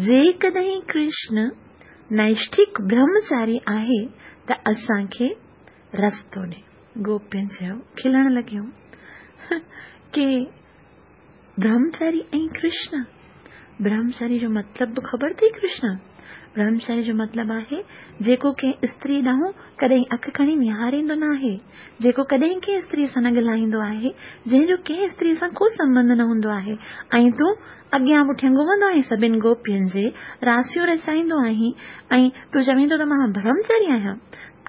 Speaker 1: جيڪڏهن ڪرشن نئشٺڪ برهمچاري آهي ته اسان کي رستو ڏي. گوپين چيو، کلڻ لڳيون، ڪي برهمچاري ۽ ڪرشن؟ برهمچاري جو مطلب به خبر اٿئي ڪرشن؟ برهمچاري جو مطلب آهي جيڪو ڪنهن استري ڏانهن ڪڏهن اک کڻي نهاريندو ناهي، جيڪو ڪڏهن ڪنهن استريء سان نه ڳالهائيندو آهي، جنهن جو ڪنهن استريء سان ڪو سنٻنڌ نه هوندو آهي ۽ تون اڳيان پٺيان گهمندو آهين، سڀن گوپين جي راسيون رچائيندو آهين ۽ تون چوين ٿو ته مان برهمچاري آهيان.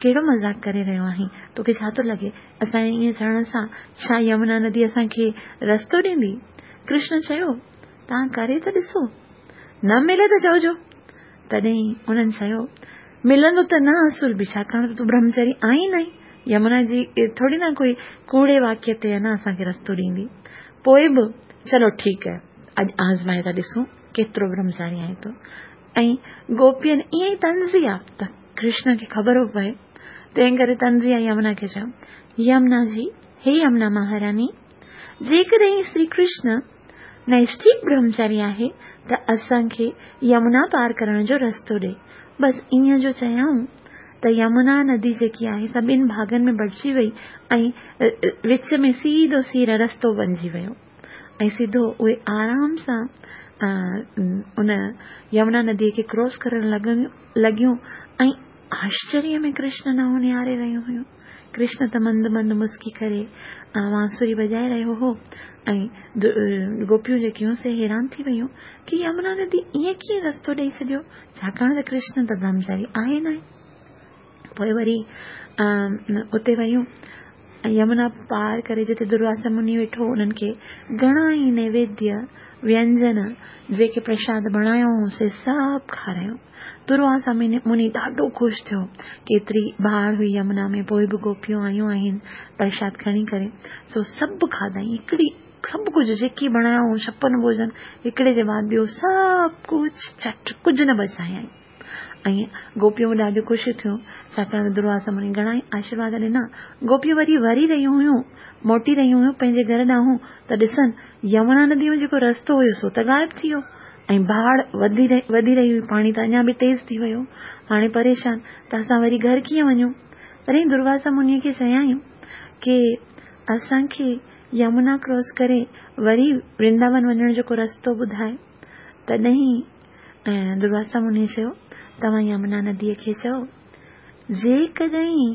Speaker 1: ڪهڙو مذاق ڪري رهيو آهين؟ توکي ڇا ٿو لڳي؟ اسان جي ائين چوڻ سان ڇا يمنا ندي اسان کي رستو ڏيندي؟ ڪرشن چيو، توهان ڪري ته ڏسو. نه ملي ته چئجو. تڏهن انهن چيو، ملندو ته نه اصل به، ڇاڪاڻ ته تون برهمچاري آهين نه ئي. يمنا جي ٿوري نه ڪوئي ڪوڙي واڪيه تي نه اسان کي رستو ڏيندي. پوء به چلو ٺيڪ آهي، اڄ آزمائي ٿا ڏسون ڪيترو برهمچاري آهين تون. ۽ گوپين ائين ئي طنزيه ته ڪرشن کي خبر به پئي، تنهن ڪري طنزيه يمنا کي چيو، يمنا جي، هي يمنا مهاراني، جيڪڏهن شري ڪرشن نئشٺيڪ برهمچاري آهي ته اسان کي يمنا پار ڪرڻ جو رستو ڏي. بس ائين جو چيائون ته يمنا ندي جيڪي آهي سا ٻن ڀاڳن ۾ بٽجي وئي ۽ وچ ۾ سيڌو سير رستو بنجي ويو ۽ سڌو اهي آرام سان ان يمنا ندي کي ڪراس ڪرڻ لڳيون ۽ آشچريه ۾ ڪرشن ڏانهن نهاري رهيون هيون. ڪرشن ته مند مند مسڪي ڪري وانسري وڄائي رهيو هو ۽ گوپيون جيڪيون سي حيران ٿي ويون ڪي يمنا ندي ائين ڪيئن رستو ڏئي ڇڏيو ڇاڪاڻ ته ڪرشن ته برهمچاري آهي ناهي. پوء وري اتي ويون ۽ يمنا پار ڪري جتي درواسا مني ويٺو هو انهن کي گهڻا ئي نيويديه وينجن جيڪي پرشاد بڻايو هو سي سڀ کارايو. درواسا مني ڏاڍو خوش ٿيو. ڪيتري باڙهه هئي يمنا ۾ پوء به گوپيون آيون آهن پرشاد کڻي ڪري سو سڀ کاڌائين هڪڙي سڀ ڪجهه جيڪي بڻايو هو ڇپن ڀوڄن هڪڙي جي بعد ٻيو سڀ ڪجهه چٽ ڪجهه نه بچايائين ۽ گوپيون به ڏاڍيون خوش ٿيون ڇاڪاڻ ته درواسا مني گهڻا ئي آشيرواد ڏنا گوپيون وري وري رهيون هيون موٽي رهيون هيون پنهنجي گهر ڏانهن ته ڏسن يمنا ندي ۾ جيڪو رستو هيو سو ته غائب ٿي ويو ۽ باڙهه وڌي وڌي رهي هئي پاڻي ته اڃا به تيز ٿي ويو هاڻي پريشان ته اسان وري گهر ڪيئن وڃون تڏهن درواسا مني کي چيائين ڪي اسان کي يمنا ڪراس ڪري وري ورنداون وڃڻ جو ڪو رستو ٻڌاء. تڏهن درواسا مني چيو، توهان يمنا نديء کي چئو، جيڪڏهن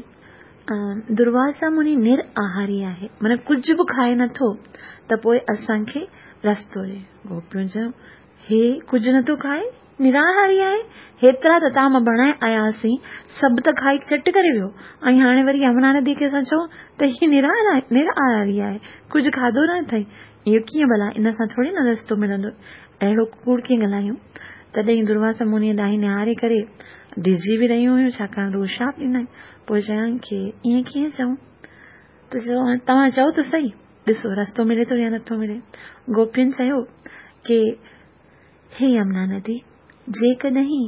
Speaker 1: درواسا مني نر آهاري آهي، معنيٰ ڪجهه به کائي نٿو، ته پوء اسان کي رستو ڏي. گوپيون چيو، هي ڪجهه نٿو کائي؟ نراهاري آهي؟ هيترا ته طعام بڻائي آياسين، سڀ ته کائي چٽ ڪري ويو ۽ هاڻي وري يمنا ندي کي اسان چئون ته هي نراهاري آهي، ڪجهه کاڌو نه اٿئي. اهو ڪيئن ڀلا ان سان ٿوري نه رستو ملندو. اهڙو ڪوڙ ڪيئن ڳالهايون؟ تڏهن درواسا منيء ڏانهن نهاري ڪري ڊڄي به رهيون هيون، ڇاڪاڻ ته اهو شاپ ڏنائين. پوء چيائين ڪي ائين ڪيئن چئون؟ ته چيو توهان چئو ته سهي، ڏسو رستو ملي ٿو يا نٿو ملي. گوپين چيو ڪي هي يمنا ندي، جيڪڏهن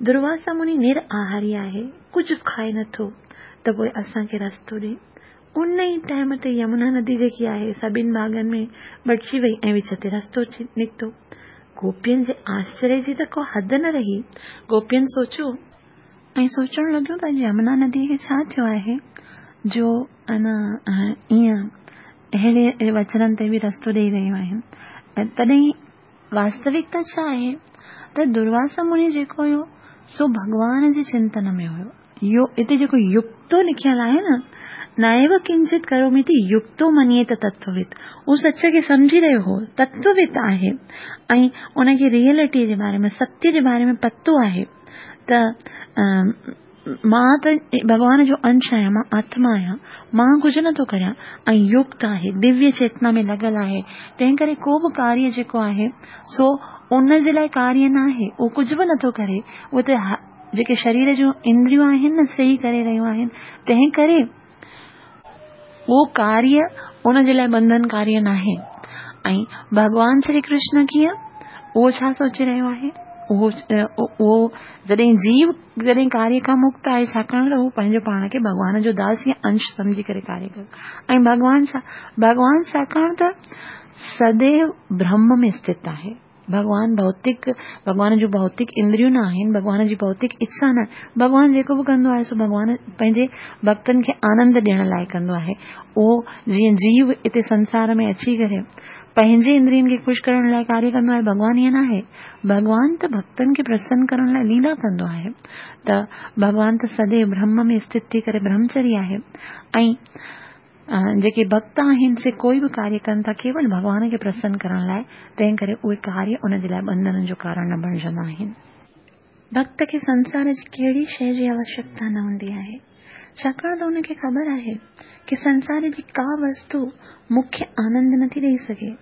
Speaker 1: درواسا مني نر آهاري آهي، ڪجهه به کائي نٿو، ته پوء اسان کي رستو ڏي. ان ئي ٽائيم تي يمنا ندي جيڪي آهي، سا ٻن ڀاڳن ۾ بٽجي وئي ۽ وچ تي رستو نڪتو. گوپين جي آشچريه جي ته ڪو حد نه رهي. گوپين سوچيو. ۽ سوچڻ لڳيون ته اڄ يمنا نديء کي ڇا ٿيو آهي، جو ان ائين اهڙي وچنن تي به رستو ڏيئي رهيون آهن. تڏهن واستوڪتا ڇا آهي ته درواسا مني جيڪو هيو سو ڀڳوان جي چنتن ۾ هيو. اهو هتي جيڪو يڪتو لکيل آهي نه نيو ڪنچت ڪروميتي يڪتو منيت تتووت هو سچ کي سمجهي رهيو هو تتووت آهي ۽ ان کي ريئلٽي جي باري ۾ ستيه جي باري ۾ پتو آهي ته مان ته ڀڳوان جو انش آهيان، مان آتما آهيان، مان ڪجهه نه ٿو ڪريان ۽ يڪت آهي، دويه چيتنا ۾ لڳل آهي، تنهن ڪري ڪو به ڪاريه جيڪو آهي سو ان جي لاء ڪاريه ناهي، اهو ڪجهه به نه ٿو ڪري، اهو ته جيڪي شرير جون اندريون آهن نه سي ئي ڪري رهيون آهن، تنهن ڪري اهو ڪاريه ان جي لاء بنڌنڪاري ناهي ۽ ڀڳوان شري ڪرشن ڪيئن اهو ڇا سوچي رهيو آهي اهو اهو جڏهن جيو جڏهن ڪاريه کان مڪت آهي ڇاڪاڻ ته هو پنهنجو پاڻ کي ڀڳوان جو داس يا انش سمجهي ڪري ڪاريه ڪري ۽ ڀڳوان ڇا ڀڳوان ڇاڪاڻ ته سديو برهم ۾ اسٿت آهي ڀڳوان ڀوتڪ، ڀڳوان جون ڀوتڪ اندريون نه آهن، ڀڳوان جي ڀوتڪ اڇا نه آهي. ڀڳوان جيڪو به ڪندو آهي سو ڀڳوان پنهنجي ڀڳتن کي آنند ڏيڻ لاء ڪندو آهي. اهو جيئن جيو هتي سنسار ۾ اچي ڪري پنهنجي اندرين کي خوش ڪرڻ لاء ڪاريه ڪندو آهي، ڀڳوان ائين ناهي. ڀڳوان ته ڀڳتن کي پرسن ڪرڻ لاء ليلا ڪندو آهي. ته ڀڳوان ته سديو برهم ۾ اسٿت ٿي ڪري برهمچري آهي ۽ جيڪي ڀڳت آهن سي ڪوئي به ڪاريه ڪن ٿا ڪيول ڀڳوان کي پرسن ڪرڻ لاء، تنهن ڪري اهي ڪاريه ان جي لاء ٻنڌنن جو ڪارڻ نه بڻجندا آهن. ڀڳت کي سنسار جي ڪهڙي شيء جي آوشيڪتا نه هوندي آهي، ڇاڪاڻ ته ان کي خبر آهي ڪي سنسار جي ڪا وستو مون کي آنند نه ٿي ڏئي سگهي.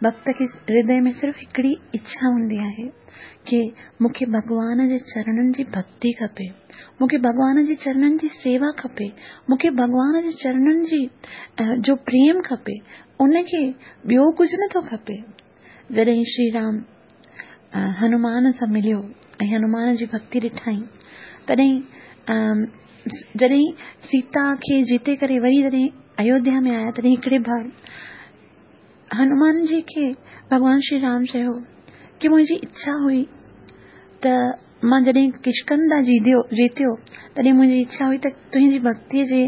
Speaker 1: ڀڳت کي هردي ۾ صرف هڪڙي اڇا هوندي آهي ڪي مون کي ڀڳوان جي چرڻن جي ڀڳتي کپي. مون کي ڀڳوان جي چرڻن جي سيوا کپي، مون کي ڀڳوان جي چرڻن جي جو پريم کپي، ان کي ٻيو ڪجهه نه ٿو کپي. جڏهن شري رام هنومان سان مليو ۽ هنومان جي ڀڳتي ڏٺائين، تڏهن جڏهن سيتا کي جيتي ڪري وري جڏهن ايوڌيا ۾ آيا تڏهن هڪڙي بار هنومان جي کي ڀڳوان شري رام چيو ڪي منهنجي اڇا هئي ته مان جڏهن ڪشڪنڌا جيتيو جيتيو تڏهن منهنجي اڇا هئي ته تنهنجي ڀڳتيء جي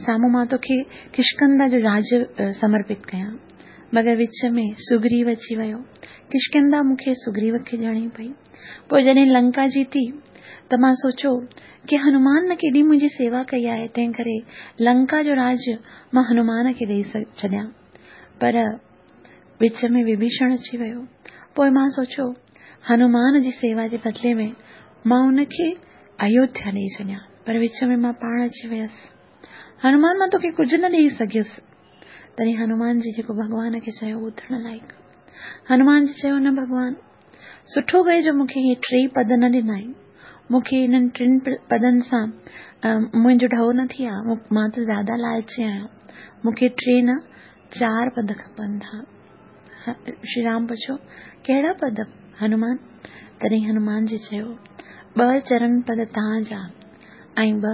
Speaker 1: سامهون مان توکي ڪشڪنڌا جو راج سمرپت ڪيان. مگر وچ ۾ سگريو اچي ويو. ڪشڪنڌا مون کي سگريو کي ڏيڻي پئي. پوء جڏهن لنڪا جيتي ته مان سوچيو ڪي هنومان نه ڪيڏي منهنجي سيوا ڪئي آهي تنهن ڪري لنڪا جو راج مان هنومان کي ڏئي ڇڏيان. پر وچ ۾ وڀيشڻ اچي ويو. پوء مان سوچيو، هنومان جي سيوا جي بدلي ۾ مان ان کي ايوڌيا ڏيئي ڇڏيان، پر وچ ۾ مان پاڻ اچي ويس. هنومان مان توکي ڪجهه نه ڏيئي سگهيس. تڏهن هنومان جي جيڪو ڀڳوان کي چيو ٻڌڻ لائق. هنومان جي چيو نه ڀڳوان، سٺو ڪيو جو مون کي اهي ٽي پد نه ڏنائين. مون کي انهن ٽن پدن سان منهنجو ڍؤ نه ٿئي ها. مان ته زياده لالچي آهيان. مون کي ٽي نه چار پد کپن ٿا. شري رام پڇيو، ڪهڙا پد هنومان؟ تڏهن هنومان جي چيو، ٻه چرن پد توهان جا ۽ ٻه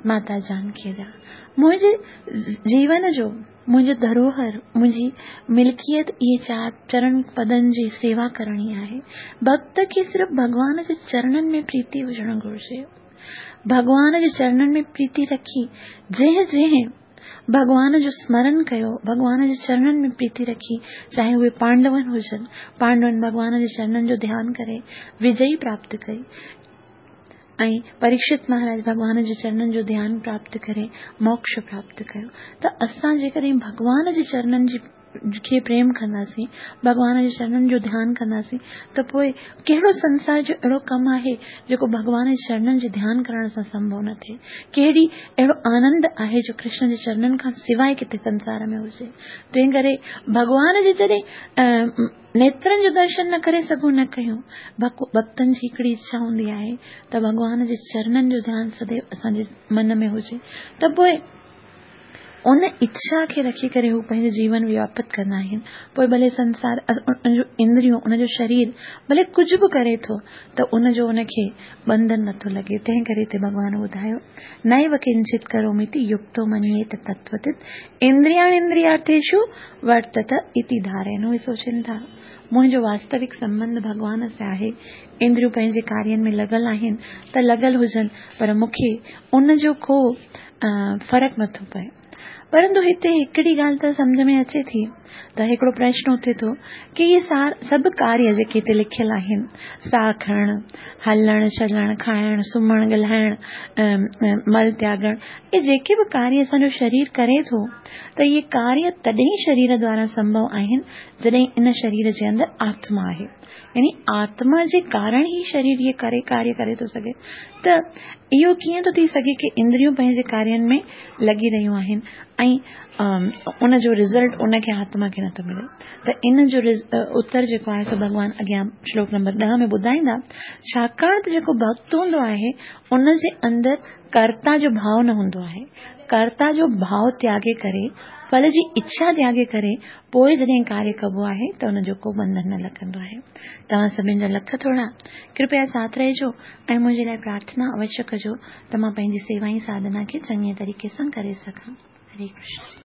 Speaker 1: ماتا جانڪيء جا. منهنجي جيون جو منهنجو ڌروهر، منهنجي ملڪيت اهي چار چرن پدن جي سيوا ڪرڻي آهي. ڀڳت کي صرف ڀڳوان جي چرنن ۾ پريتي هجڻ گهرجي. ڀڳوان جي چرنن ۾ پريتي رکي جنهن جنهن ڀڳوان جو سمرن ڪيو، ڀڳوان جي چرنن ۾ پريتي رکي، چاهي اهي پانڊون هجن، پانڊون ڀڳوان جي چرنن جو ڌيان ڪري وجئي پراپت ڪئي ۽ پريڪشت مهاراج ڀڳوان جي چرنن جو ڌيان پراپت ڪري موڪش پراپت ڪيو ته اسان جيڪڏهن ڀڳوان جي چرنن جي کي پريم ڪنداسين، ڀڳوان جي چرنن جو ڌيان ڪنداسين ته پوء ڪهڙو سنسار جو اهڙو ڪم آهي جيڪو ڀڳوان جي چرنن جي ڌيان ڪرڻ سان سنڀو نه ٿئي؟ ڪهڙي اهڙو آنند آهي جو ڪرشن جي چرنن کان سواء ڪٿي سنسار ۾ هجي؟ تنهن ڪري ڀڳوان جي جڏهن نيترن جو درشن نه ڪري سگهون نه ڪيون، ڀڳتن جي هڪڙي اڇا هوندي آهي ته ڀڳوان جي چرنن جو ڌيان سديو اسان جي من ۾ هجي ته پوء ان اڇا کي رکي ڪري هو پنهنجو جيون وياپت ڪندا آهن. پوء ڀلي سنسار، ان جون اندريون، ان جو شرير ڀلي ڪجهه به ڪري ٿو ته ان جو ان کي ٻنڌن نٿو لڳي. تنهن ڪري هتي ڀڳوان ٻڌايو، نيو ڪنچت ڪروميتي يڪتو منييت تتوتت اندرياڻيندريارٿيشو ورتت اتي ڌارين. اهي سوچين ٿا، منهنجو واستوڪ سنٻنڌ ڀڳوان سان آهي، اندريون پنهنجي ڪارين ۾ لڳل آهن ته لڳل هجن پر مون کي ان جو ڪو فرق نٿو پئي. پرنتو هتي هڪڙي ڳالهه ته سمجهه ۾ اچي ٿي ته هڪڙو پرشن اٿي ٿو ڪي اهي سڀ ڪاريه جيڪي هتي لکيل آهن، ساهه کڻڻ، هلڻ چلڻ، کائڻ، سمهڻ، ڳالهائڻ، مل تياڳڻ، اهي جيڪي به ڪاريه اسان جو شرير ڪري ٿو ته اهي ڪاريه تڏهن شرير دوارا سنڀو آهن جڏهن ان شرير جي اندر آتما آهي. يعني آتما جي ڪارڻ ئي شرير اهي ڪري ڪاريه ڪري ٿو سگهي ته اهو ڪيئن ٿو ٿي سگهي ڪي اندريون پنهنجي ڪارين ۾ لڳي رهيون آهن ۽ ان جو رزلٽ ان کي آتما کي نٿو ملي ته ان جو اتر جيڪو آهي سو ڀڳوان اڳيان شلوڪ نمبر 10 ۾ ٻڌائيندا. ڇاڪاڻ ته جيڪو ڀڳت هوندو آهي ان جي اندر ڪرتا جو ڀاء نه هوندو آهي. ڪرتا جو ڀاء تياڳي ڪري، ڦل جي اڇا تياڳي ڪري پوء جڏهن ڪاريه ڪبو آهي ته ان جو ڪو ٻنڌن نه لڳندو آهي. توهان سڀني جا لک ٿورا. ڪرپيا ساٿ رهجو ۽ منهنجي لاء پرارٿنا اوشيه ڪجو ته مان پنهنجي سيوا ۽ ساڌنا کي چڱي طريقي سان ڪري سگهان. هري ڪرشن.